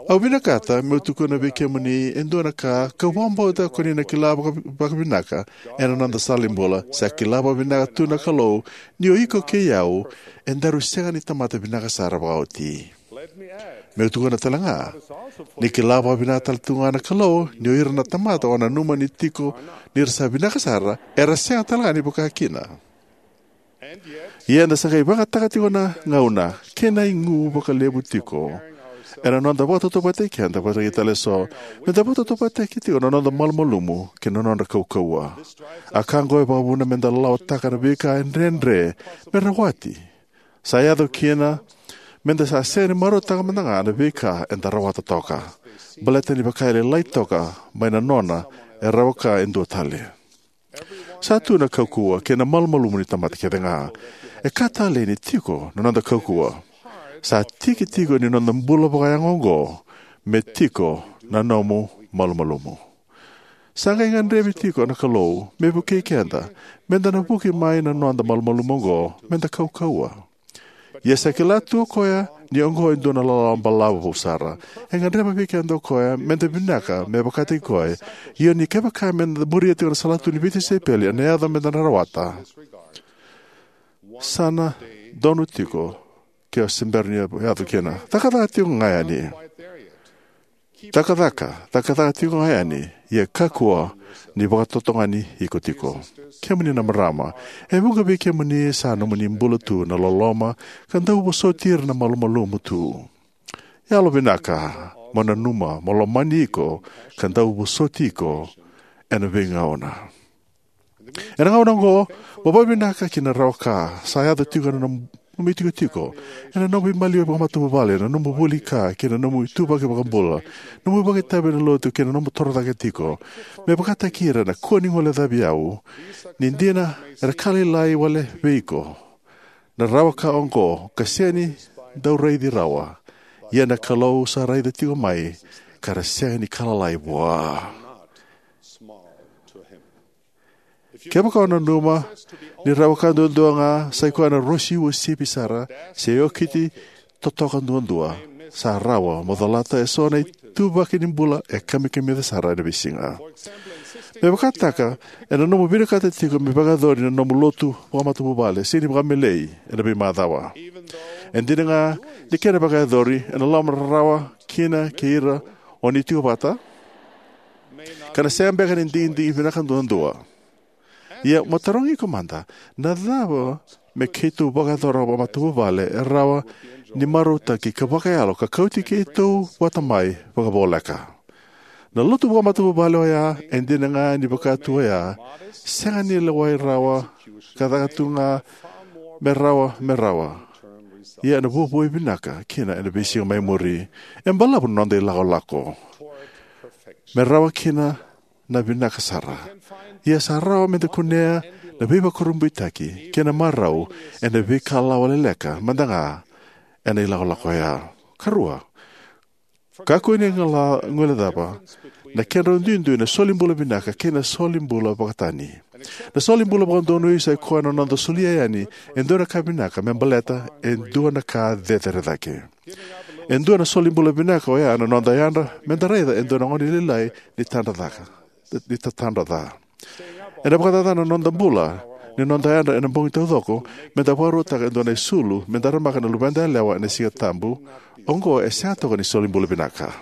Au vinakata meu tukuna vei kemuni e dua na ka kau vakabauta ko ni na kila vaka- vakavinaka ena noda sala ni bula. Sa kila vakavinaka tu na Kalou ni o iko kei au e daru sega ni tamata vinaka sara vakaoti. Meu tukuna tale ga ni kila vakavinaka tale tu ga na Kalou ni o ira na tamata o nanuma ni tiko ni ra sa vinaka sara era sega tale ga ni vaka kina. Ia eda sa qai vakayagataka tiko na gauna kei na igu vakalevu tiko ena noda vakatautauvatataki keda vakataki tale eso, meda vakatautauvatataki tiko na noda malumalumu kei na nodra kaukauwa. A ka oqo e vakavuna meda lawataka na veika e dredre me rawati. Sa yaco kina meda sa sega ni marautaka mada ga na veika eda rawata toka, baleta ni vaka e lailai toka mai na nona e rawa ka e dua tale. Sa tu na kaukauwa kei na malumalumu ni tamata kece ga. E ka talei ni tiko na noda kaukauwa. Sa tiki tiko ni noda bula vakayago oqo me tiko na nomu malumalumu. Sa qai gadrevi tiko na Kalou me vukei keda meda na vuki mai na noda malumalumu oqo meda kaukauwa. Ia sa kila tu o koya ni oqo e dua na lalawa balavu vou sara. E gadreva vei keda o koya meda vinaka me vakataki koya. Ia ni kevaka meda muria tiko na salatu ni veitisaipeli ena yaco meda na rawata, sa na donu tiko ke o se bera ni yaco kina. Cakacaka tiko ga yani. Cakacaka, cakacaka tiko ga yani, ia kakua ni vakatotogani iko tiko. Kemuni na marama, e vuqa vei kemuni sa nomuni bula tu na loloma ka dau vosoti ira na malumalumu tu. Yalovinaka mo nanuma mo lomani iko ka dau vosoti iko ena veigauna. Ena gauna oqo, mo vakavinaka ki na rawa ka sa yaco tiko ena nomu itikotiko, ena nomu veimaliwai vakamatavuvale, ena nomu vuli ka kei na nomu ituvaki vakabula, nomu vakaitavi ena lotu kei na nomu torocake tiko. Me vakataki ira na kua ni guilecavi au, ni dina era ka lailai wale vei iko na rawa ka oqo ka sega ni dau raici rawa. Ia na Kalou sa raica tiko mai ka ra sega ni ka lalai vua. Kevaka o nanuma ni rawa ka duadua ga sa i koya na rosi uasivi sara se okiti totoka duadua, sa rawa mo colata eso na ituvaki ni bula e kamikamica sara ena veisiga. Me vakataka, ena nomu vinakata tiko me vakayacori na nomu lotu vakamatavuvale se ni vakamelei ena veimacawa. E dina ga ni kena vakayacori ena loma rarawa kina kei ira o ni tiko vata, ka na sega beka ni digidigi vinaka duadua. Ia mo tarogi iko mada, na cava me keitou vakayacora vakamatavuvale e rawa ni marautaki ka vakayalo ka kauti keitou vata mai vakavoleka? Na lotu vakamatavuvale oya, e dina ga ni vaka tu oya, sega ni lewai rawa ka caka tu ga me rawa, me rawa. Ia ena vuavuai vinaka kina ena veisiga mai muri. E balavu na noda ilakolako me rawa kina na vinaka sara. Ia sa rawa meda kunea na veivakurabuitaki kei na marau ena veika lawa leleka mada ga ena ilakolako oya. Karua, kakua ni gala- guilecava na kedrau duidui na solibula vinaka kei na solibula vakatani. Na solibula vakadonui sa ikoya na noda solia yani e dua na ka vinaka me baleta e dua na ka cecere cake. E dua na solibula vinaka oya na noda yadra me da raica e dua na gone lailai ni tadra caka, ni tatadra ca. Ena vakacaca na noda bula ni noda yadra ena bogi taucoko me da vakarautaka e dua na isulu me daramaka na luveda yalewa ena Siga Tabu. Oqo e sega toka ni solibula vinaka.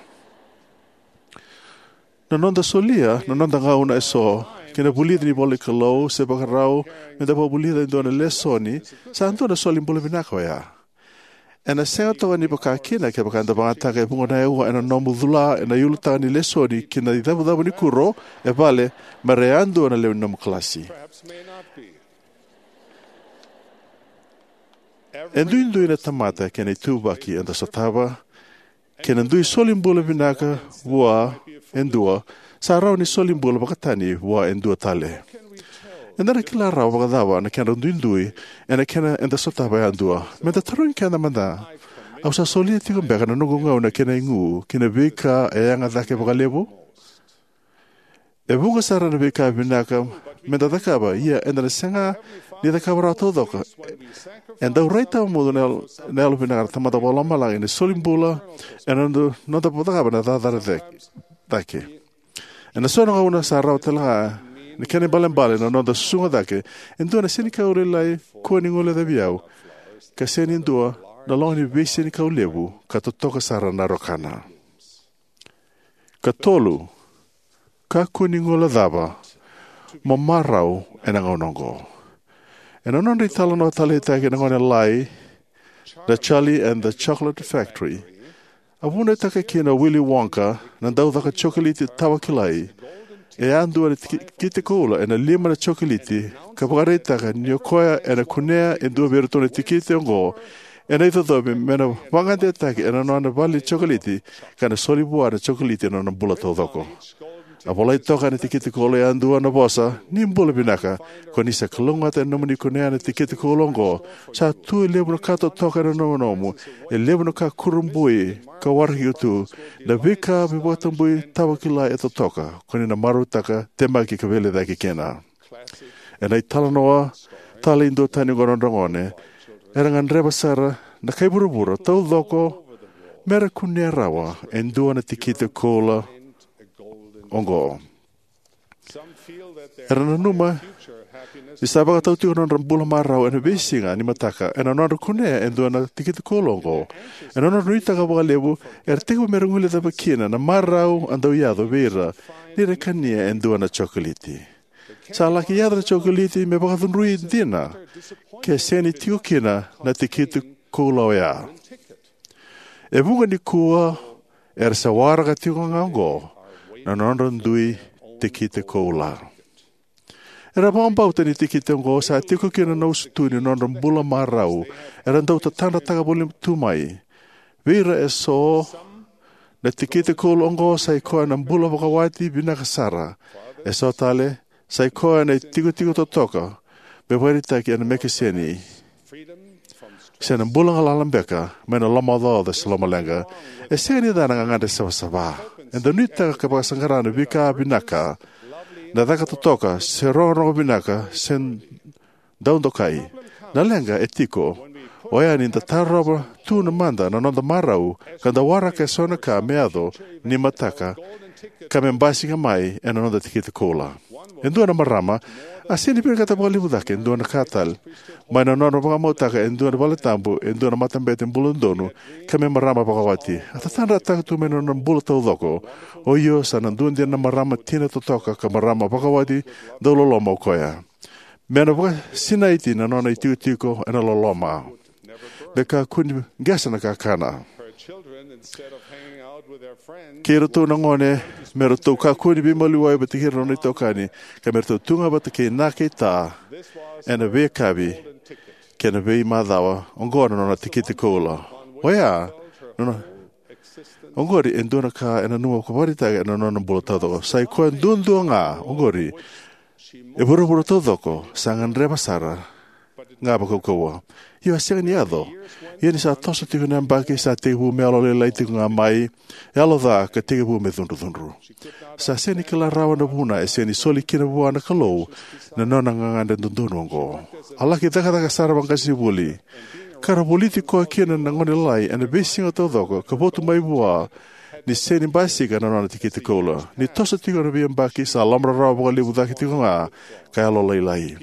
Na noda solia na noda gauna eso ki na vulici ni ivolanikalou se vakarau me da vakavulica e dua na lesoni sa dua na solibula vinaka oya. Ena sega toka ni vaka kina kevaka eda vakayagataka e vuqa na aua ena nomu cula ena ulutaga ni lesoni ki na icavucavu ni kuro e vale me ra yadua na lewe ni nomu kalasi. E duidui na tamata kei na ituvaki eda sotava, kei na dui solibula vinaka vua e dua sa rawa ni solibula vakatani vua e dua tale. Eda na kila rawa vakacava na kedrau duidui ena kena eda sotava yadua? Me da tarogi keda mada, au sa solia tiko beka na noqu gauna kei na igu ki na veika e yaga cake vakalevu? E vuqa sara na veika vinaka me da cakava, ia eda na sega ni cakava rawa taucoko. E dau rai tawamudu na yalo, na yalo vinaka na Tamada Vakalomalagi ni solibula ena noda, noda cakava na cakacaka cake. Ena so na gauna sa rawa tale ga na kena ibalebale na noda susuga cake e dua na senikau lailai kua ni guilecavi au, ka sega ni dua na loga ni veisenikau levu ka totoka sara na rokana. Katolu, kakua ni guilecava mo marau ena gauna oqo. Ena nodra italanoa taleitaki na gone lailai na Charlie and the Chocolate Factory, a vunautaka kina o Willy Wonka na daucaka jokoliti tawakilai e a dua na tikite koula ena lima na jokoliti, ka vakaraitaka ni o koya ena kunea e dua vei iratou na tikite oqo ena icocovi me na vakadeitaki ena nona vale ni jokoliti, ka na soli vua na jokoliti ena nona bula taucoko. A volai toka ena tikite koula yadua na vosa ni bula vinaka, ko ni sa kalougata ena nomuni kunea na tikite koula oqo. Sa tu e levu na ka totoka ena nomunomu, e levu na ka kurabui ka waraki iko tu, na veika veivakatabui tawakilai e totoka, ko ni na marautaka, temaki ka veilecayaki kina. Ena italanoa tale e dua tani oqo na nodra gone, era gadreva sara na kai vuravura taucoko me ra kunea rawa e dua na tikite koula oqo. Era nanuma ni sa vakatau tiko na nodra bula marau ena veisiga ni mataka ena nodra kunea e dua na tikite koula oqo. Ena nodra nuitaka vakalevu, era tekivu me ra guilecava kina na marau a dau yaco vei ira ni ra kania e dua na jokoliti. Sa laki yaco na jokoliti me vakacudrui dina ke sega ni tiko kina na tikite koula oya. E vuqa nikua era sa waraka tiko ga oqo na nodra dui tikite koula. Era vakabauta ni tikite oqo sa tiko kina na usutu ni nodra bula marau era dau tatadrataka voli tu mai. Vei ira eso, na tikite koula oqo sa ikoya na bula vakawati vinaka sara. Eso tale, sa ikoya na itikotiko totoka me vakaraitaki ena mekeseni, se na bula galala beka mai na lomaocaoca se lomaleqa. E sega ni ca na gagadre savasava. Eda nuitaka ka vakasaqara na veika vinaka, na caka totoka, se rogorogo vinaka, se dau dokai. Na leqa e tiko oya ni da tarova tu na mada na noda marau ka da waraka eso na ka me yaco ni mataka ka me basika mai ena noda tikite koula. E dua na marama a sega ni vinakata vakalevu cake e dua na ka tale mai na nona vakamautaka e dua na valetabu, e dua na matabete bula donu, ka me marama vakawati. A tatadrataka tu mai na nona bula taucoko. O io, sa na dua dina na marama tina totoka ka marama vakawati dau loloma o koya. Me na vakasinaiti na nona itikotiko ena loloma. Me kakua ni qesa na kakana. Kei iratou na gone, me ratou kakua ni veimaliwai vata kei ira na nona itokani, ka me ratou tu ga vata kei na kei ta ena veiyakavi kei na veimacawa. Oqo na nona tikite koula. Oya, nona, oqori e dua na ka ena nanuma ka vakaraitaka ena nona bula taucoko. Sa ikoya duadua ga oqori E vuravura taucoko sa gadreva sara ga vakaukauwa. Io, a sega ni yaco. Ia ni sa toso tiko na yabaki, sa tekivu me yalolailai tiko ga mai, yalo ca ka tekivu me cudrucudru. Sa sega ni kila rawa na vuna e sega ni soli kina vua na Kalou na nona gagadre dodonu oqo. A laki cakacaka sara vaqasenivuli, ka ra voliti koya kina na gone lalai ena veisiga taucoko ka votu mai vua ni sega ni basika na nona tikite koula. Ni toso tiko na veiyabaki, sa lomarawa vakalevu cake tiko ga ka yalolailai.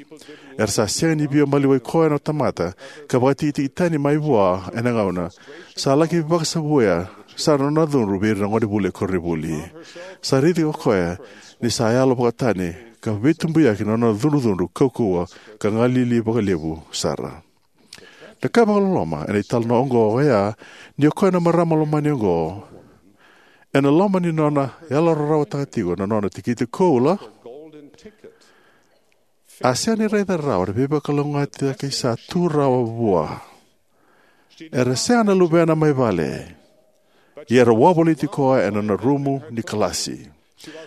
Era sa sega ni via maliwai koya na tamata ka vakatikitiki tani mai vua ena gauna sa laki vakasavuya sara na nona cudru vei ira na gonevuli e koronivuli. Sa raici o koya ni sa yalo vakatani ka veitubuyakia na nona cudrucudru kaukauwa ka galili vakalevu sara. Na ka vakaloloma ena italanoa oqo oya ni o koya na marama lomani oqo, ena loma ni nona yalorarawa tiko na nona tikite koula, a sega ni raica rawa na veivakalougatataki sa tu rawa vua. Era sega na luvena mai vale, ia era wavoliti koya ena nona rumu ni kalasi.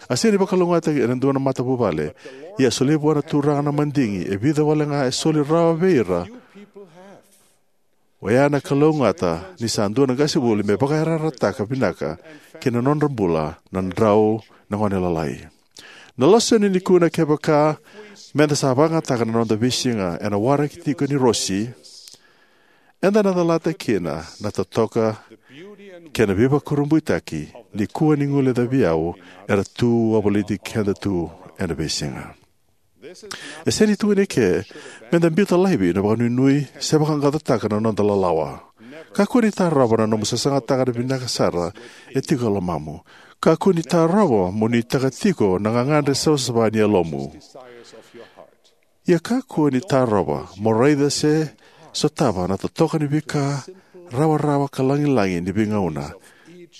A sega ni vakalougatataki ena dua na matavuvale, ia a solia vua na Turaga na madigi e vica wale ga e soli rawa vei ira oya na kalougata ni sa dua na qasenivuli me vakayarayarataka vinaka ki na nodra bula na drau na gone lalai. Na lesoni nikua na kevaka meda sa vakayagataka na noda veisiga ena waraki tiko ni Rosi, eda na calata kina na totoka kei na veivakurabuitaki ni kua ni guilecavi au era tu wavoliti keda tu ena veisiga. E sega ni tukuni eke meda biuta laivi na vakanuinui se vaqaqacotaka na noda lalawa. Kakua ni tarova na nomu sasagataka na vinaka sara e tiko e lomamu. Kakua ni tarova mo nuitaka tiko na gagadre savasava ni yalomu. Ia kakua ni tarova mo raica se sotava na totoka ni veika rawarawa ka lagilagi ni veigauna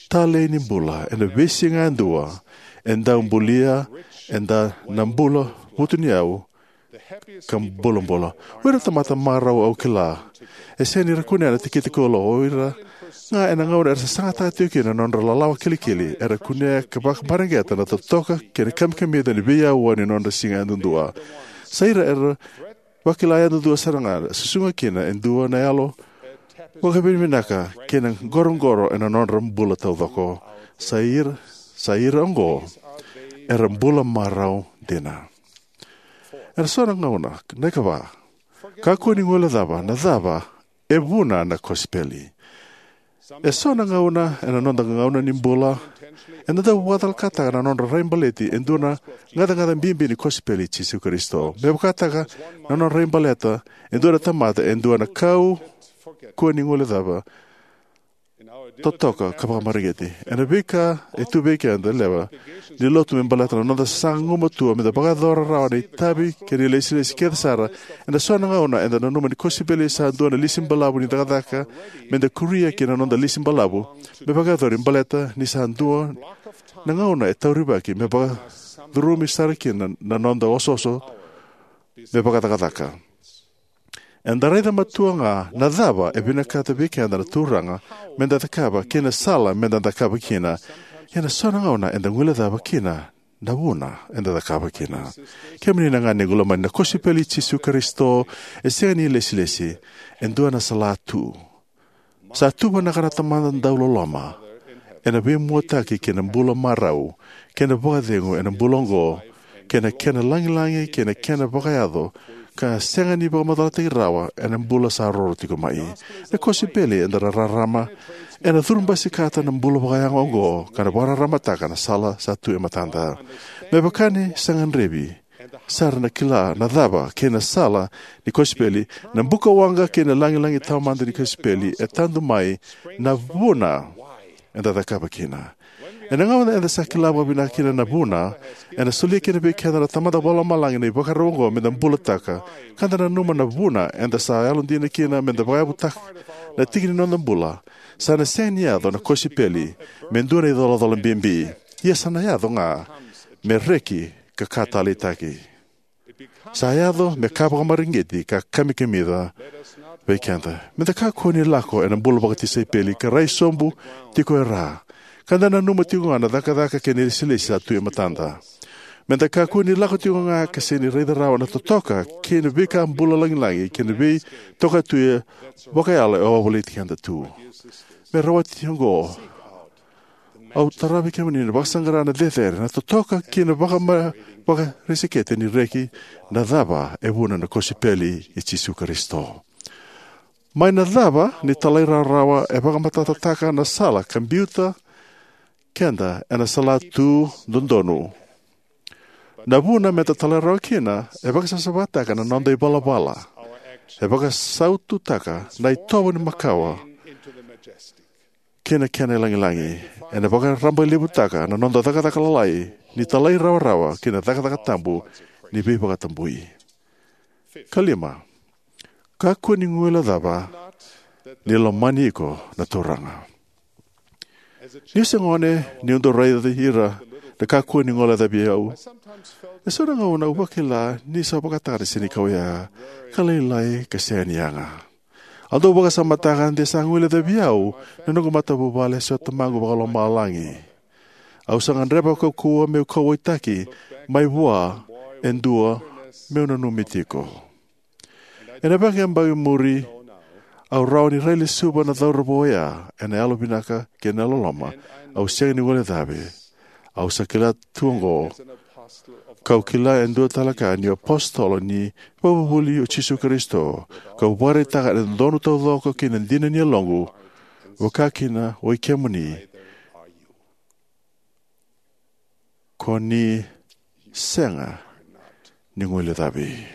talei ni bula ena veisiga yadua e dau bulia eda na bula vutuniyau ka bulabula. O ira na tamata marau au kila, e sega ni ra kunea na tikite koula. O ira ga ena gauna era sasagataka tiko kina na nodra lalawa kilikili, era kunea ka vakamareqeta na totoka kei na kamikamica ni veiyaua ni nodra siga yadudua. Sa ira era vakila yadudua sara ga, susuga kina e dua na yalo vakavinavinaka kei na qoroqoro ena nodra bula taucoko. Sa ira, sa ira oqo era bula marau dina. Ena so na gauna, na ikava, kakua ni guilecava na cava e vuna na kosipeli. E so na gauna ena noda gauna ni bula, eda dau vakacalakataka na nodra raibaleti e dua na gacagaca bibi ni kosipeli i Jisu Karisito. Me vakataka na nona raibaleta e dua na tamata e dua na kau kua ni guilecava, totoka ka vakamareqeti. Ena veika e tu vei keda lewe ni lotu me baleta na noda sasaga gumatua meda vakayacora rawa na itavi kei na ilesilesi kece sara, ena so na gauna eda nanuma ni kosipeli sa dua na lisi balavu ni cakacaka meda kuria ki na noda lisi balavu me vakayacori, baleta ni sa dua na gauna e taurivaki me vakacurumi sara kina na noda osooso me vakacakacaka. Eda raica matua ga na cava e vinakata vei keda na Turaga meda cakava kei na sala meda cakava kina. Ia na so na gauna eda guilecava kina na vuna eda cakava kina. Kemuni na gone qu lomani, na kosipeli i Jisu Karisito e sega ni ilesilesi, e dua na salatu. Sa tu vinaka na Tamada dauloloma ena veimuataki kei na bula marau kei na vakacegu ena bula oqo, kei na kena lagilagi kei na kena vakayaco ka sega ni vakamacalataki rawa ena bula sa roro tiko mai. Na kosipeli eda rarama ena curubasikata na bula vakayago oqo ka na vakararamataka na sala sa tu e matada. Me vaka ni sa gadrevi sara na kila na cava kei na sala ni kosipeli, na buka waqa kei na lagilagi taumada ni kosipeli e tadu mai na vuna eda cakava kina. Ena gauna eda sa kila vakavinaka kina na vuna, ena solia kina vei keda na Tamada Vakalomalagi na ivakarau oqo meda bulataka, ka da nanuma na vuna eda sa yalodina kina meda vakayavutaka na tiki ni noda bula. Sa na sega ni yaco na kosipeli me dua na icolacola bibi. Ia sa na yaco ga me reki ka ka taleitaki. Sa yaco me ka vakamareqeti ka kamikamica vei keda. Meda kakua ni lako ena bula vakatisaipeli ka rai sobu tiko e ra, ka da nanuma tiko ga na cakacaka kei na ilesilesi sa tu e matada. Me da kakua ni lako tiko ga ka sega ni raica rawa na totoka kei na veika bula lagilagi kei na veitokatuya vakayalo e wavoliti keda tu. Me rawati oqo, au tara vei kemuni na vakasaqara na cecere, na totoka kei na vakama-, vakarisikete ni reki na cava e vuna na kosipeli i Jisu Karisito. Mai na cava ni talairawarawa e vakamatatataka na sala ka biuta keda ena salatu dodonu. Na vuna meda talairawarawa kina e vakasasavataka na noda ivalavala, e vakasaututaka na itovo ni makawa kei na kena ilagilagi, ena vakarabailevutaka na noda cakacaka lalai ni talairawarawa kei na cakacaka tabu ni veivakatabui. Ka lima, kakua ni guilecava ni lomani iko na Turaga. Niu se gone, niu dau raici ira na kakua ni guilecavi au, e so na gauna au vakila ni sa vakataka na senikau ya ka lailai ka sega ni yaga. Au dau vakasamataka de sa guilecavi au na noqu matavuvale se o Tamaqu Vakalomalagi. Au sa gadreva kaukauwa meu kauwaitaki mai vua e dua meu nanumi tiko. Ena veiyabaki muri, au rawa ni railesuva na cauravou oya ena yalovinaka kei na yalololoma. Au sega ni guilecavi. Au sa kila tu oqo, kau kila e dua tale ka niu apositolo ni vakavuvuli o Jisu Karisito, kau vakaraitaka ena dodonu taucoko kei na dina ni yaloqu, vaka kina o i kemuni, ko ni sega ni guilecavi.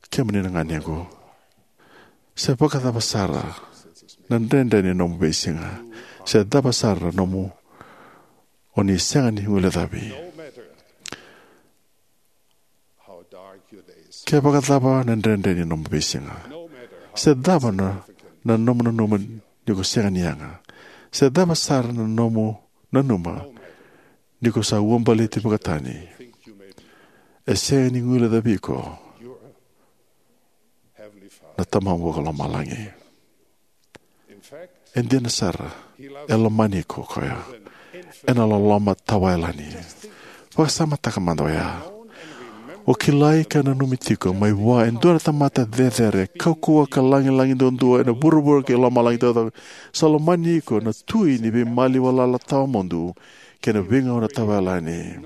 Kemuni na ganequ, se vakacava sara na dredre ni nomu veisiga, se cava sara na nomu, o ni sega ni guilecavi. Ke vakacava na dredre ni nomu veisiga, se cava na, na nomu nanuma ni ko sega ni yaga, se cava sara na nomu nanuma ni ko sa uabaleti vakatani, e sega ni guilecavi iko na Tamamu Vakalomalagi. E dina sara, e lomani iko o koya ena loloma tawayalani. Vakasamataka mada oya. O kilai ka nanumi tiko mai vua e dua na tamata cecere, kaukauwa ka lagilagi duadua ena vuravura kei lomalagi taucoko. Sa lomani iko na Tui ni veimaliwalala tawamudu kei na veigauna tawayalani.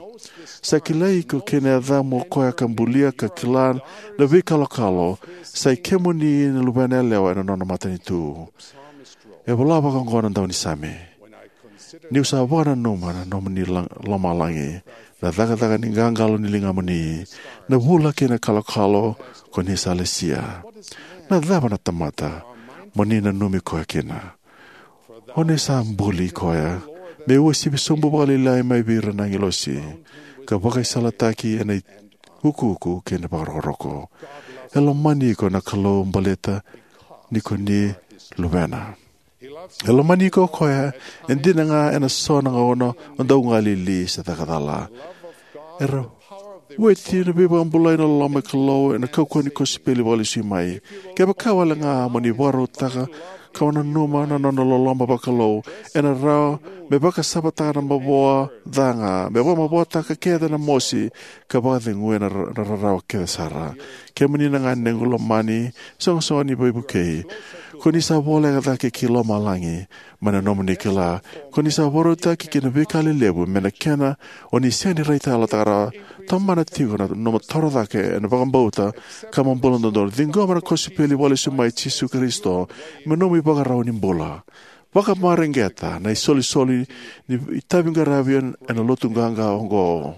Sa kilai iko kei na yacamu o koya ka bulia ka kila na veikalokalo. Sa i kemuni na luvena yalewa ena nona matanitu. E vola vaka oqo na daunisame: Niu sa vakananuma na nomuni la-, lomalagi, na cakacaka ni qaqalo ni ligamuni, na vula kei na kalokalo ko ni sa lesia, na cava na tamata mo ni nanumi koya kina? O ni sa buli koya me uasivi sobu vakalailai mai vei ira na agilosi, ka vakaisalataki ena iukuuku kei na vakarokoroko. E lomani iko na Kalou baleta ni ko ni luvena. E lomani iko o koya, e dina ga ena so na gauna o dau galili se caka cala. Era vueti na veivakabulai na loloma ni Kalou ena kaukauwa ni kosipeli vakalesui mai. Kevaka wale ga mo ni vakarautaka ka vakananuma na nona loloma vakalou, ena rawa me vakasavataka na mavoa ca ga, me vakamavoataka kece na mosi, ka vakacegui na ra-, na rarawa kece sara. Kemuni na ganequ lomani, soqosoqo ni veivukei, ko ni sa voleka cake ki lomalagi mai na nomuni kila. Ko ni sa vakarautaki ki na veika lelevu me na kena o ni sega ni raitayalotaka rawa. Tomana tiko na nomu toro cake ena vakabauta ka mo bula dodonu. Ciqoma na kosipeli vakalesui mai i Jisu Karisito me nomu ivakarau ni bula. Vakamareqeta na isolisoli ni itaviqaravi ena lotu qaqa oqo.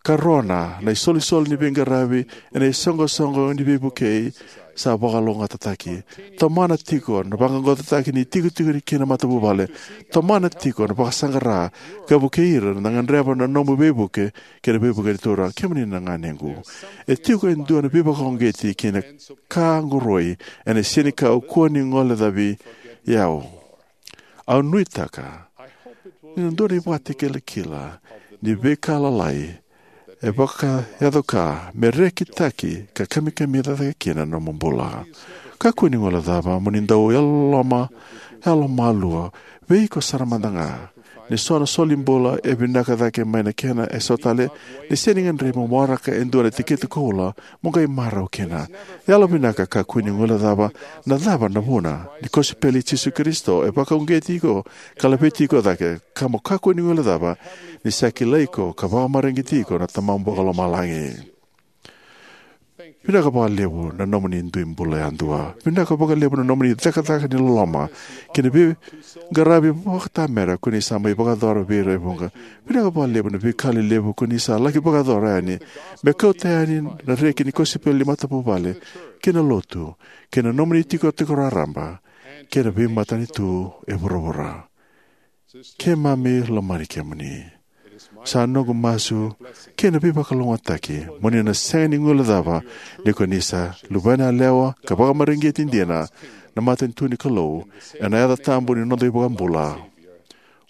Karona na isolisoli ni veiqaravi ena isoqosoqo ni veivukei sa vakalougatataki. Tomana tiko na vaqaqacotaki ni itikotiko kei na matavuvale. Tomana tiko na vakasaqara ka vukei ira na gadreva na nomu veivuke kei na veivuke ni Turaga. Kemuni na ganequ, e tiko e dua na veivakauqeti kei na ka qoroi ena senikau kua ni guilecavi au. Au nuitaka ni na dua na ivakatakilakila ni veika lalai e vakayaco ka me rekitaki ka kamikamica cake kina na nomu bula. Kakua ni guilecava mo ni dau yalololoma, yalomalua vei iko sara mada ga. Ni so na solibula e vinaka cake mai na kena eso tale, ni sega ni gadrevi mo waraka e dua na tikici koula mo qai marau kina. Yalovinaka, kakua ni guilecava na cava na vuna. Ni kosipeli i Jisu Karisito e vakauqeti iko ka laveti iko cake, ka mo kakua ni guilecava ni sa kilai iko ka vakamareqeti iko na Tamamu Vakalomalagi. Vinaka vakalevu na nomuni dui bula yadua. Vinaka vakalevu na nomuni cakacaka ni loloma kei na veiqaravi vakatamera ko ni sa mai vakayacora vei ira e vuqa. Vinaka vakalevu na veika lelevu ko ni sa laki vakayacora yani me kauta yani na reki ni kosipeli ni matavuvale kei na lotu, kei na nomuni tikotiko raraba kei na veimatanitu e vuravura. Keimami lomani kemuni. Sa noqu masu kei na veivakalougatataki mo ni na sega ni guilecava ni ko ni sa luvena yalewa ka vakamareqeti dina na matanitu ni Kalou, ena yaca tabu ni noda iVakabula,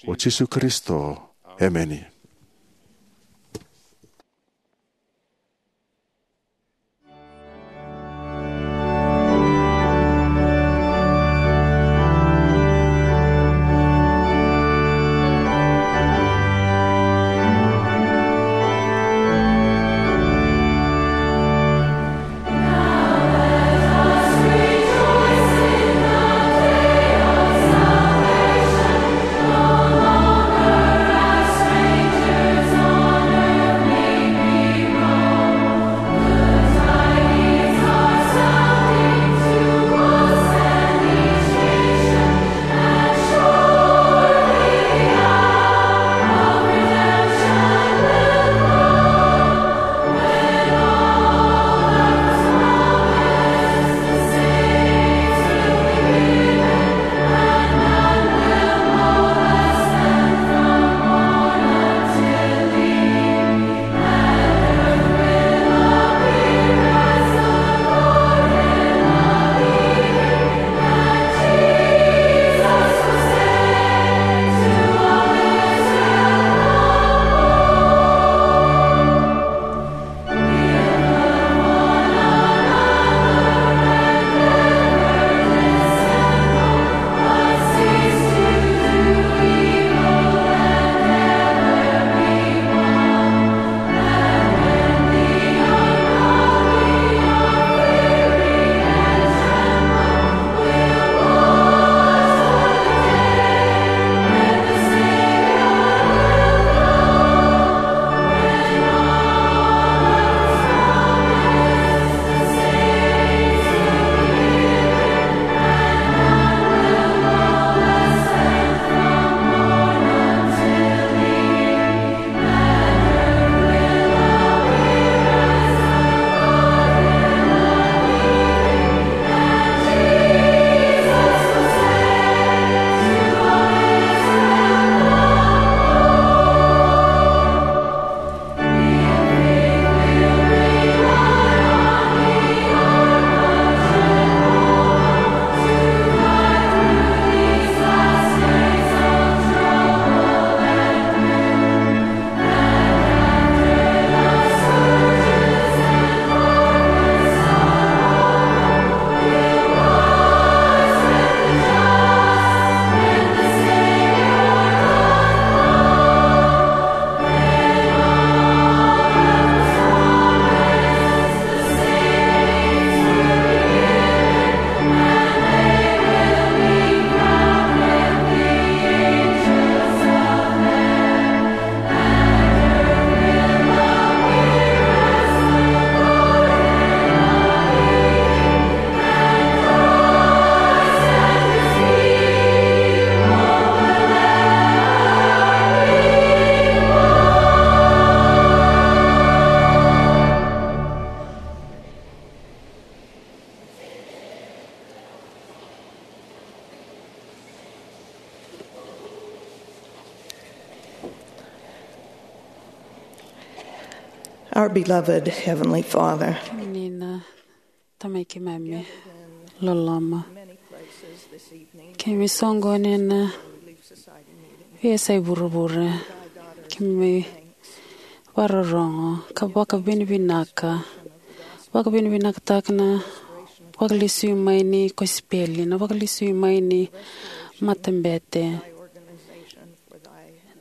o Jisu Karisito. Emeni. Our beloved Heavenly Father, Kemuni na Tamai keimami loloma, keimami soqoni ena veiyasai vuravura, keimami vakarorogo ka vakavinavinaka, vakavinavinakataka na vakalesui mai ni kosipeli, na vakalesui mai ni matabete.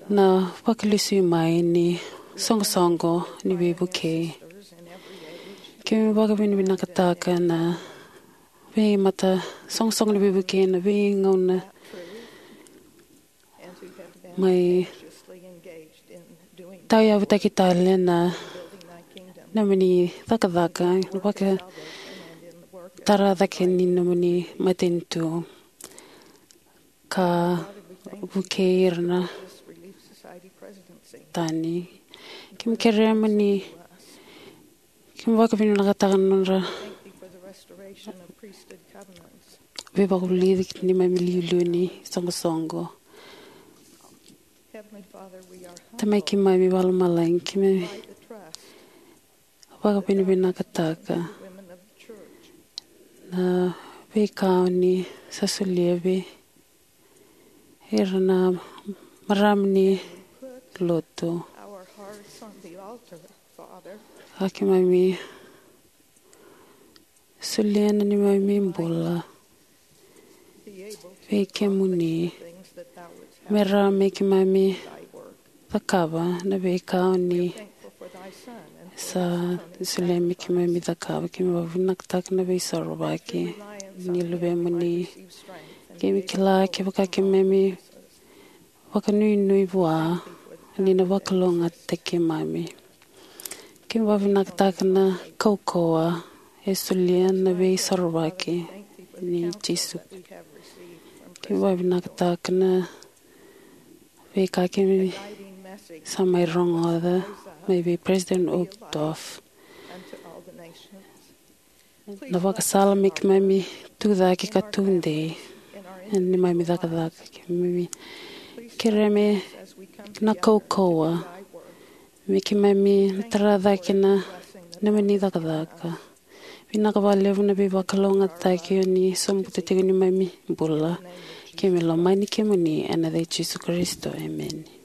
Na vakalesui mai ni soqosoqo ni veivukei. Keimami vakavinavinakataka na veimata soqosoqo ni veivukei na veigauna mai tauyavutaki tale na nomuni cakacaka, na vakatara cake ni nomuni matanitu ka vukei ira na tani. Keimami kerea mo ni, keimami vakavinavinakataka na nodra veivakavulici ni neimami iliuliu ni soqosoqo. Tamai keimami vakalomalagi, keimami vakavinavinakataka na veika oni sa solia vei ira na marama ni lotu. A keimami solia na neimami bula vei kemuni me rawa me keimami cakava na veika oni sa solia me keimami cakava. Keimami vakavinavinakataka na veisorovaki ni luvemuni. Keimami kila kevaka keimami vakanuinui vua, ni na vakalougatataki keimami. Keimami vakavinavinakataka na kaukauwa e solia na veisorovaki ni Jisu. Keimami vakavinavinakataka na veika keimami sa mai rogoca mai vei President Uchtdorf, na vakasala me keimami tucake ka tudei ena neimami cakacaka. Keimami kerea me na kaukauwa me keimami tara cake na nomuni cakacaka. Vinaka vakalevu na veivakalougatataki oni sobuta tiko ni neimami bula. Keimami lomani kemuni ena yaca i Jisu Karisito, emeni.